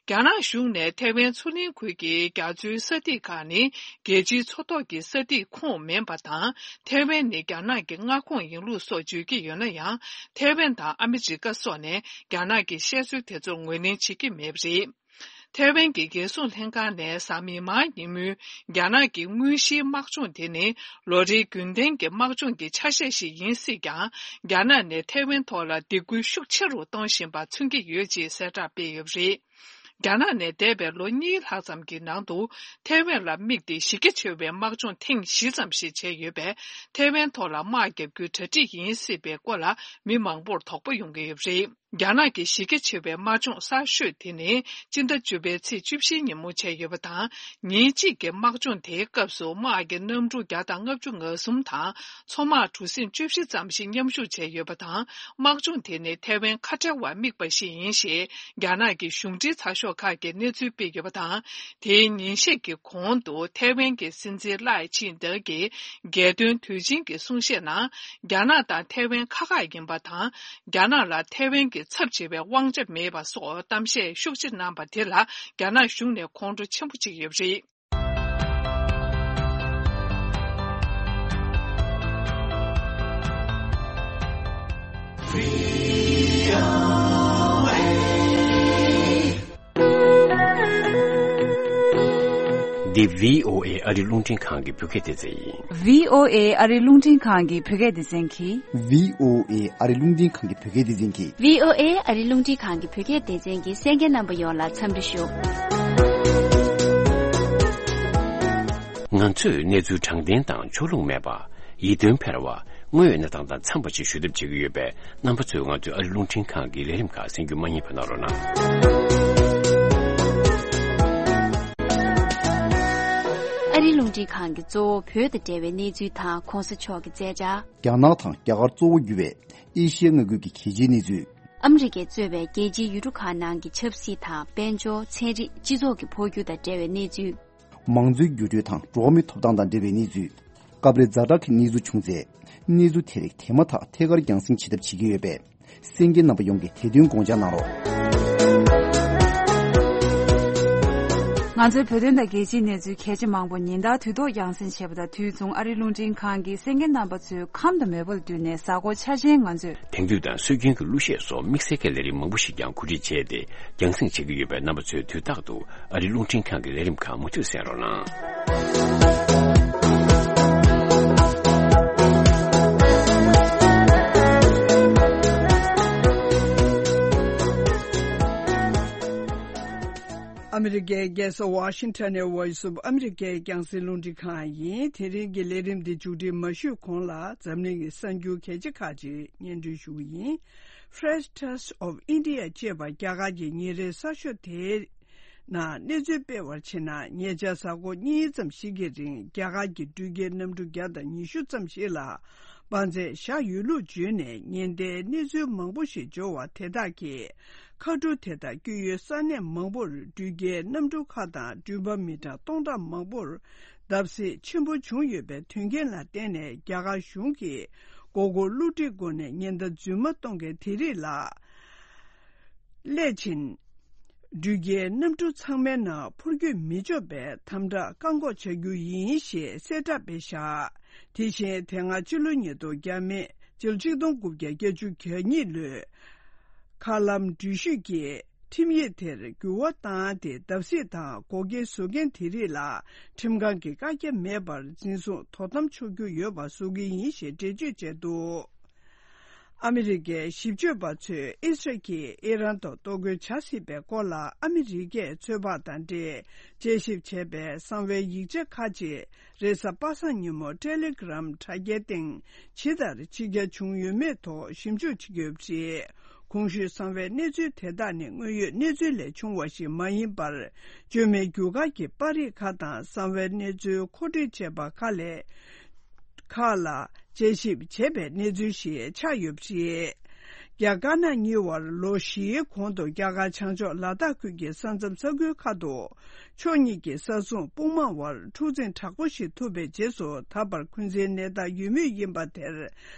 རྒྱ་ནག་གཞུང་ནས་ཐའེ་ཝན་མཚོ་གླིང་ཁུལ་གྱི་རྒྱ་མཚོའི་ས་ཐིག་ཁག་ནི་རྒྱལ་སྤྱིའི་མཚོ་ཐོག་གི་ས་ཐིག་ཁོངས་མིན་པ་དང་། ཐའེ་ཝན་ནི་རྒྱ་ནག་གི་མངའ་ཁོངས་ཡིན་ལུགས་སོགས་བརྗོད་ཀྱི་ཡོད་ན་ཡང་། ཐའེ་ཝན་དང་ཨ་མི་རི་ཀ་སོགས་ནས་རྒྱ་ནག་གི་བཤད་སྲོལ་དེ་ཚོར་ངོས་ལེན་བྱེད་ཀྱི་མེད་པ་རེད། ཐའེ་ཝན་གྱི་རྒྱལ་སྲུང་ལྷན་ཁང་ནས་གཟའ་མིག་དམར་ཉིན་མོའི་རྒྱ་ནག་གི་དངོས་གཞིའི་དམག་སྦྱོང་དེ་ནི་ལོ་རེའི་རྒྱུན་ལྡན་གྱི་དམག་སྦྱོང་གི་ཆ་ཤས་ཤིག་ཡིན་སྲིད་ཀྱང་། རྒྱ་ནག་ནས་ཐའེ་ཝན་ཐོག་ལ་སྡིགས་སྐུལ་ཤུགས་ཆེ་རུ་གཏོང་བཞིན་པ་མཚོན་གྱི་ཡོད་ཅེས་གསལ་བསྒྲགས་སྤེལ་ཡོད་པ་རེད། རྒྱ་ནག་ནས་འདས་པའི་ལོ་གཉིས་ལྷག་ཙམ་གྱི་ནང་དུ་ཐའེ་ཝན་ལ་དམིགས་ཏེ་གཞི་རྒྱ་ཆེ་བའི་དམག་སྦྱོང་ཐེངས་བཞི་ཙམ་ཞིག་བྱས་ཡོད་པས། ཐའེ་ཝན་ཐོག་ལ་དམག་བརྒྱབ་རྒྱུའི་གྲ་སྒྲིག་ཡིན་སྲིད་པའི་སྐོར་ལ་མི་མང་པོར་དོགས་པ་ཡོང་གི་ཡོད་པ་རེད། རྒྱ་ནག་གི་གཞི་རྒྱ་ཆེ་བའི་དམག་སྦྱོང་གསར་ཤོས་དེ་ནི་སྤྱི་ཟླ་བཅུ་པའི་ཚེས་བཅུ་བཞིའི་ཉིན་མོ་བྱས་ཡོད་པ་དང་། ཉིན་གཅིག་གི་དམག་སྦྱོང་དེའི་སྐབས་སུ་དམག་གི་གནམ་གྲུ་བརྒྱ་དང་ལྔ་བཅུ་ང་གསུམ་དང་། མཚོ་དམག་གྲུ་གཟིངས་བཅུ་བཞི་ཙམ་ཞིག་མཉམ་ཞུགས་བྱས་ཡོད་པ་དང་། དམག་སྦྱོང་དེ་ནི་ཐའེ་ཝན་ཁ་བྲལ་བར་དམིགས་པ་ཞིག་ཡིན་ཞེས། རྒྱ་ནག་གི་གཞུང་འབྲེལ་ཚགས་ཤོག་ཁག་གིས་གནས་ཚུལ་སྤེལ་ཡོད་པ་དང་། དེའི་ཉིན་ཤས་ཀྱི་གོང་དུ་ཐའེ་ཝན་གྱི་སྲིད་འཛིན་ལའེ་ཆིང་ཏེ་གིས་རྒྱལ་དོན་དུས་ཆེན་གྱི་གསུང་བཤད་ནང་། རྒྱ་ནག་དང་ཐའེ་ཝན་ཁག་ཁག་ཡིན་པ་དང་། རྒྱ་ནག་ལ་ཐའེ་ཝན་གྱི་ཚབ་བྱེད་པའི་དབང་ཆ་མེད་པ་སོགས་གཏམ་བཤད་ཤུགས་ཆེ་གནང་པ་དེ་ལ། རྒྱ་ནག་གཞུང་ནས་ཁོང་ཁྲོ་ཆེན་པོ་བྱེད་ཀྱི་ཡོད་པ་རེད། འདི་བྷི་ཨོ་ཨེ་ཨ་རི་རླུང་འཕྲིན་ཁང་གི་བོད་སྐད་སྡེ་ཚན་ཡིན། བྷི་ཨོ་ཨེ་ཨ་རི་རླུང་འཕྲིན་ཁང་གི་བོད་སྐད་སྡེ་ཚན་གྱིས། བྷི་ཨོ་ཨེ་ཨ་རི་རླུང་འཕྲིན་ཁང་གི་བོད་སྐད་སྡེ་ཚན་གྱིས། བྷི་ཨོ་ཨེ་ཨ་རི་རླུང་འཕྲིན་ཁང་གི་བོད་སྐད་སྡེ་ཚན་གྱི་གསན་མཁན་རྣམ་པ་ཡོངས་ལ་འཚམས་འདྲི་ཞུ། ང་ཚོས་གནས་ཚུལ་དྲང་བདེན་དང་ཕྱོགས་ལྷུང་མེད་པ། ཡིད་རྟོན་འཕེར་བ། དངོས་ཡོད་གནས་སྟངས་དང་འཚམས་པ་ཞིག་ཞུ་ཐབས་བྱེད་ཀྱི་ཡོད་པས། རྣམ་པ་ཚོས་ང་ཚོའི་ཨ་རི་རླུང་འཕྲིན་ཁང་གི་ལས་རིམ་ཁག་གསན་རྒྱུ་མ་བསྙེལ་བ་གནང་རོགས་གནང་། ཨ་རི་རླུང་འཕྲིན་ཁང་གི་གཙོ་བོ་བོད་དང་འབྲེལ་བའི་གནས་ཚུལ་དང་གོང་ས་མཆོག་གི་མཛད་འཆར། རྒྱ་ནག་དང་རྒྱ་གར་གཙོ་བོ་གྱུར་བའི་ཨེ་ཤི་ཡའི་མངའ་ཁུལ་གྱི་གལ་ཆེའི་གནས་ཚུལ། ཨ་མི་རི་ཀས་གཙོས་པའི་རྒྱལ་སྤྱིའི་ཡུལ་གྲུ་ཁག་ནང་གི་ཆབ་སྲིད་དང་། དཔལ་འབྱོར། ཚན་རིག་སྤྱི་ཚོགས་ཀྱི་འཕོ་འགྱུར་དང་འབྲེལ་བའི་གནས་ཚུལ། མང་གཙོའི་འགྱུར་འགྲོས་དང་འགྲོ་བ་མིའི་ཐོབ་ཐང་དང་འབྲེལ་བའི་གནས་ཚུལ། སྐབས་རེ་ཛ་དྲག་གི་གནས་ཚུལ་བྱུང་ཚེ། གནས་ཚུལ་དེ་རིགས་དེ་མ་ཐག་ཐད་ཀར་རྒྱང་སྲིང་བྱེད་ཐབས་བྱེད་ཀྱི་ཡོད་པས། གསན་མཁན་རྣམ་པ་ཡོངས་ཀྱིས་དེ་དོན་དགོངས་འཇགས་གནང་རོགས། ང་ཚོའི་བོད་དོན་དང་རྒྱལ་སྤྱིའི་གནས་ཚུལ་གལ་ཆེ་མང་པོ་ཉིན་ལྟར་དུས་ཐོག་རྒྱང་སྲིང་བྱེད་པ་དང་། དུས་མཚུངས་ཨ་རིའི་རླུང་འཕྲིན་ཁང་གིས་གསན་མཁན་རྣམ་པ་ཚོའི་ཁམས་དང་མོས་པ་ལ་བསྟུན་ནས་གཟའ་འཁོར་འཆར་ཅན་ང་ཚོས། དེང་དུས་དང་སྲོལ་རྒྱུན་གྱི་གླུ་གཞས་སོགས་དམིགས་བསལ་གྱི་ལས་རིམ་མང་པོ་ཞིག་ཀྱང་གོ་སྒྲིག་བྱས་ཏེ་རྒྱང་སྲིང་བྱེད་ཀྱི་ཡོད་པས། རྣམ་པ་ཚོས་དུས་རྟག་ཏུ་ཨ་རིའི་རླུང་འཕྲིན་ཁང་གི་ལས་རིམ་ཁག་མུ་མཐུད་གསན་རོགས་གནང་། ཨ་མི་རི་ཀའི་རྒྱལ་ས་ཝ་ཤིང་ཊོན་ནས་Voice of America་རྒྱང་སྲིང་རླུང་འཕྲིན་ཁང་ཡིན། དེ་རིང་གི་ལས་རིམ་འདི་མཇུག་སྒྲིལ་མ་ཞུས་གོང་ལ། འཛམ་གླིང་གི་གསར་འགྱུར་གལ་ཆེ་ཁག་ཅིག་སྙན་སྒྲོན་ཞུ་གི་ཡིན། French Trust of India་ཅེས་པ་རྒྱ་གར་གྱི་ཉིན་རེའི་གསར་ཤོག་དེའི་ནང་གནས་ཚུལ་སྤེལ་བར་ཕྱིན་ན། ཉེ་ཆར་གཟའ་འཁོར་གཉིས་ཙམ་ཞིག་གི་རིང་རྒྱ་གར་གྱི་འགྲུལ་སྐྱེལ་གནམ་གྲུ་བརྒྱ་དང་ཉི་ཤུ་ཙམ་ཞིག་ལ་དཔའ་མཛད་བཞག་ཡོད་ལུགས་བརྗོད་ནས། ཉེན་བརྡའི་གནས་ཚུལ་མང་པོ་ཞིག་འབྱོར་བ་དེ་དག་གིས། མཁའ་འགྲོ་དེ་དག་བསྐྱོད་ཡུལ་ས་གནས་མང་པོར་འགྲུལ་སྐྱེལ་གནམ་གྲུ་ཁག་དང་འགྲུལ་པ་མི་གྲངས་སྟོང་ཕྲག་མང་པོར་བརྡབ་གསིག་ཆེན་པོ་བྱུང་ཡོད་པའི་དོན་རྐྱེན་ལ་བརྟེན་ནས། རྒྱ་གར་གཞུང་གིས་མགོ་སྐོར་བསླུ་བྲིད་སྒོ་ནས་ཉེན་བརྡ་རྫུན་མ་གཏོང་མཁན་དེ་རིགས་ལ་སླད་ཕྱིན། འགྲུལ་སྐྱེལ་གནམ་གྲུ་ཚང་མའི་ནང་འཕུར་སྐྱོད་མི་ཆོག་པའི་དམ་དྲག་བཀག་འགོག་བྱ་རྒྱུ་ཡིན་ཞེས་གསལ་བསྒྲགས་སྤེལ་བཞག་དེ་བཞིན་དེ་སྔ་ཕྱི་ལོ་ཉིས་སྟོང་བརྒྱ་མེད་ཕྱི་ལོ་ཆིག་སྟོང་དགུ་བརྒྱ་བརྒྱད་ཅུ་གྱ་གཉིས་ལོའི་མཁའ་ལམ་འགྲུལ་བཞུད་ཀྱི་ཁྲིམས་ཡིག་དེར་འགྱུར་བ་བཏང་སྟེ། བརྡབ་གསིག་དང་འགོག་རྐྱེན་བཟོ་མཁན་དེ་རིགས་ལ་ཁྲིམས་ཁང་གི་བཀག་རྒྱ་མེད་པར་འཛིན་བཟུང་དོ་དམ་ཆོག་རྒྱུ་ཡོད་པ་བཟོ་གི་ཡིན་ཞེས་འགྲེལ་བརྗོད་བྱས་འདུག་ཨ་མི་རི་ཀའི་ཞིབ་དཔྱོད་པ་ཚོས་ཨི་སི་རལ་གྱིས་ཨི་རན་དུ་གཏོར་རྒོལ་བྱ་སྲིད་པའི་སྐོར་ལ་ཨ་མི་རི་ཀས་ཚོད་དཔག་དང་འབྲེལ་དཔྱད་ཞིབ་བྱས་པའི་གསང་བའི་ཡིག་ཆ་ཁག་ཅིག་རེས་གཟའ་པ་སངས་ཉིན་མོ་ཊེ་ལེ་གྷི་རམ་དྲ་རྒྱའི་སྟེང་ཇི་ལྟར་ཕྱི་གྱར་བྱུང་ཡོད་མེད་ཐོག་ཞིབ་འཇུག་བྱེད་ཀྱི་ཡོད་པ་རེད། གོང་ཞུས་གསང་བའི་གནས་ཚུལ་དེ་དག་ནི་དངོས་ཡོད་གནས་ཚུལ་ལས་བྱུང་བ་ཞིག་མ་ཡིན་པར། བཅོས་མའི་རྒྱུ་སྐར་གྱི་པར་རིས་ཁག་དང་གསང་བའི་གནས་ཚུལ་མཁོ་སྒྲིག་བྱས་པ་ཁག་ལས། ཁག་ལ་དཔྱད་ཞིབ་བྱས་པའི་གནས་ཚུལ་ཞིག་ཆགས་ཡོད་པ་རེད། རྒྱ་དཀར་ནག་གཉིས་བར་ལོ་བཞིའི་གོང་དུ་རྒྱ་གར་བྱང་ཕྱོགས་ལ་དྭགས་ཁུལ་གྱི་ས་མཚམས་ས་ཁུལ་ཁག་ཏུ། ཕྱོགས་གཉིས་ཀྱི་ས་མཚམས་དཔུང་དམག་དབར་འཁྲུག་འཛིང་དྲག་པོ་ཞིག་ཐུག་པའི་རྗེས་སུ། ད་བར་འཁོན་འཛིན་གནས་སྟངས་ཡོད་མུས་ཡིན་པ་དེར་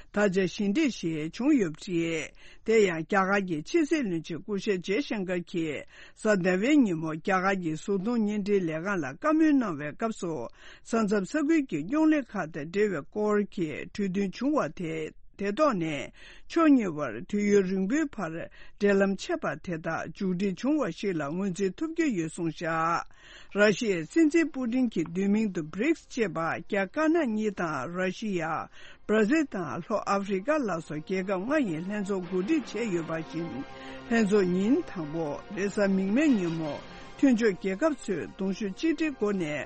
ད་ཆ་ཞི་འགྲིག་ཞིག་བྱུང་ཡོད་པ་རེད། དེ་ཡང་རྒྱ་གར་གྱི་ཕྱི་སྲིད་བློན་ཆེན་སྐུ་ཞབས་ཇེ་ཤང་ཀར་གྱིས་གཟའ་ཟླ་བའི་ཉིན་མོ་རྒྱ་གར་གྱི་གཟུགས་མཐོང་བརྙན་འཕྲིན་ལས་ཁང་ལ་བཀའ་མོལ་གནང་བའི་སྐབས་སུ། ས་མཚམས་ས་ཁུལ་གྱི་རྙོག་གླེང་ཁག་དང་འབྲེལ་བའི་སྐོར་གྱི་གྲོས་མཐུན་བྱུང་བ་དེ། དེ་ཐོག་ནས་ཕྱོགས་གཉིས་བར་དུས་ཡུན་རིང་པོའི་བར་འབྲེལ་ལམ་ཆད་པ་དེ་དག་མཇུག་སྒྲིལ་བྱུང་བ་ཞིག་ལ་ངོས་འཛིན་ཐུབ་ཀྱི་ཡོད་གསུངས་བཞག་ར་ཤི་ཡའི་སྲིད་འཛིན་པུ་ཏིན་གྱི་བསྡུས་མིང་དུ་བྷི་རིགས་ཅེས་པ། རྒྱ་དཀར་ནག་གཉིས་དང་ར་ཤི་ཡ། བྷར་ཛིལ་དང་ལྷོ་ཨ་ཧྥེ་རི་ཀ་ལ་སོགས་རྒྱལ་ཁབ་ལྔ་ཡིས་ལྷན་ཚོགས་གོ་སྒྲིག་བྱས་ཡོད་པ་བཞིན། ལྷན་ཚོགས་ཉིན་དང་པོ་རེས་གཟའ་མིག་དམར་ཉིན་མོ་མཐུན་ཕྱོགས་རྒྱལ་ཁབ་ཚོས་གདུང་ཤུགས་གཅིག་སྒྲིལ་སྒོ་ནས།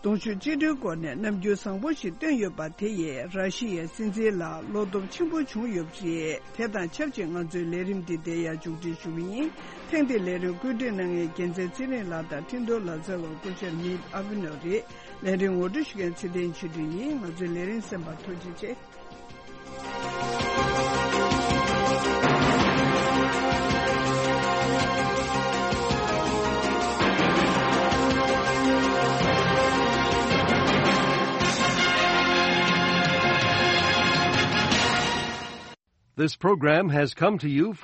གདུང་ཤུགས་གཅིག་སྒྲིལ་སྒོ་ནས་རྣམ་འགྱུར་བཟང་པོ་ཞིག་བསྟན་ཡོད་པ་དེ་ཡིས་ར་ཤི་ཡའི་སྲིད་འཛིན་ལ་བློ་སྟོབས་ཆེན་པོ་བྱུང་ཡོད་པ་རེད། དེ་དང་ཆབས་ཅིག་ང་ཚོའི་ལས་རིམ་འདི་འདིར་ཡང་མཇུག་སྒྲིལ་ཞུ་གི་ཡིན། ཐེངས་འདིའི་ལས་རིམ་བཀོད་སྒྲིག་གནང་མཁན་རྒྱལ་མཚན་ཚེ་རིང་ལགས་དང་འཕྲིན་གཏོང་ལག་རྩལ་བ་སྐུ་ཞབས་མིད་ཨ་བི་ནོ་རེད། ལས་རིམ་ངོ་སྤྲོད་ཞུ་མཁན་ཚེ་བརྟན་ཆོས་སྒྲོན་ཡིན། ང་ཚོའི་ལས་རིམ་གསན་པར་ཐུགས་རྗེ་ཆེ། This program has come to you from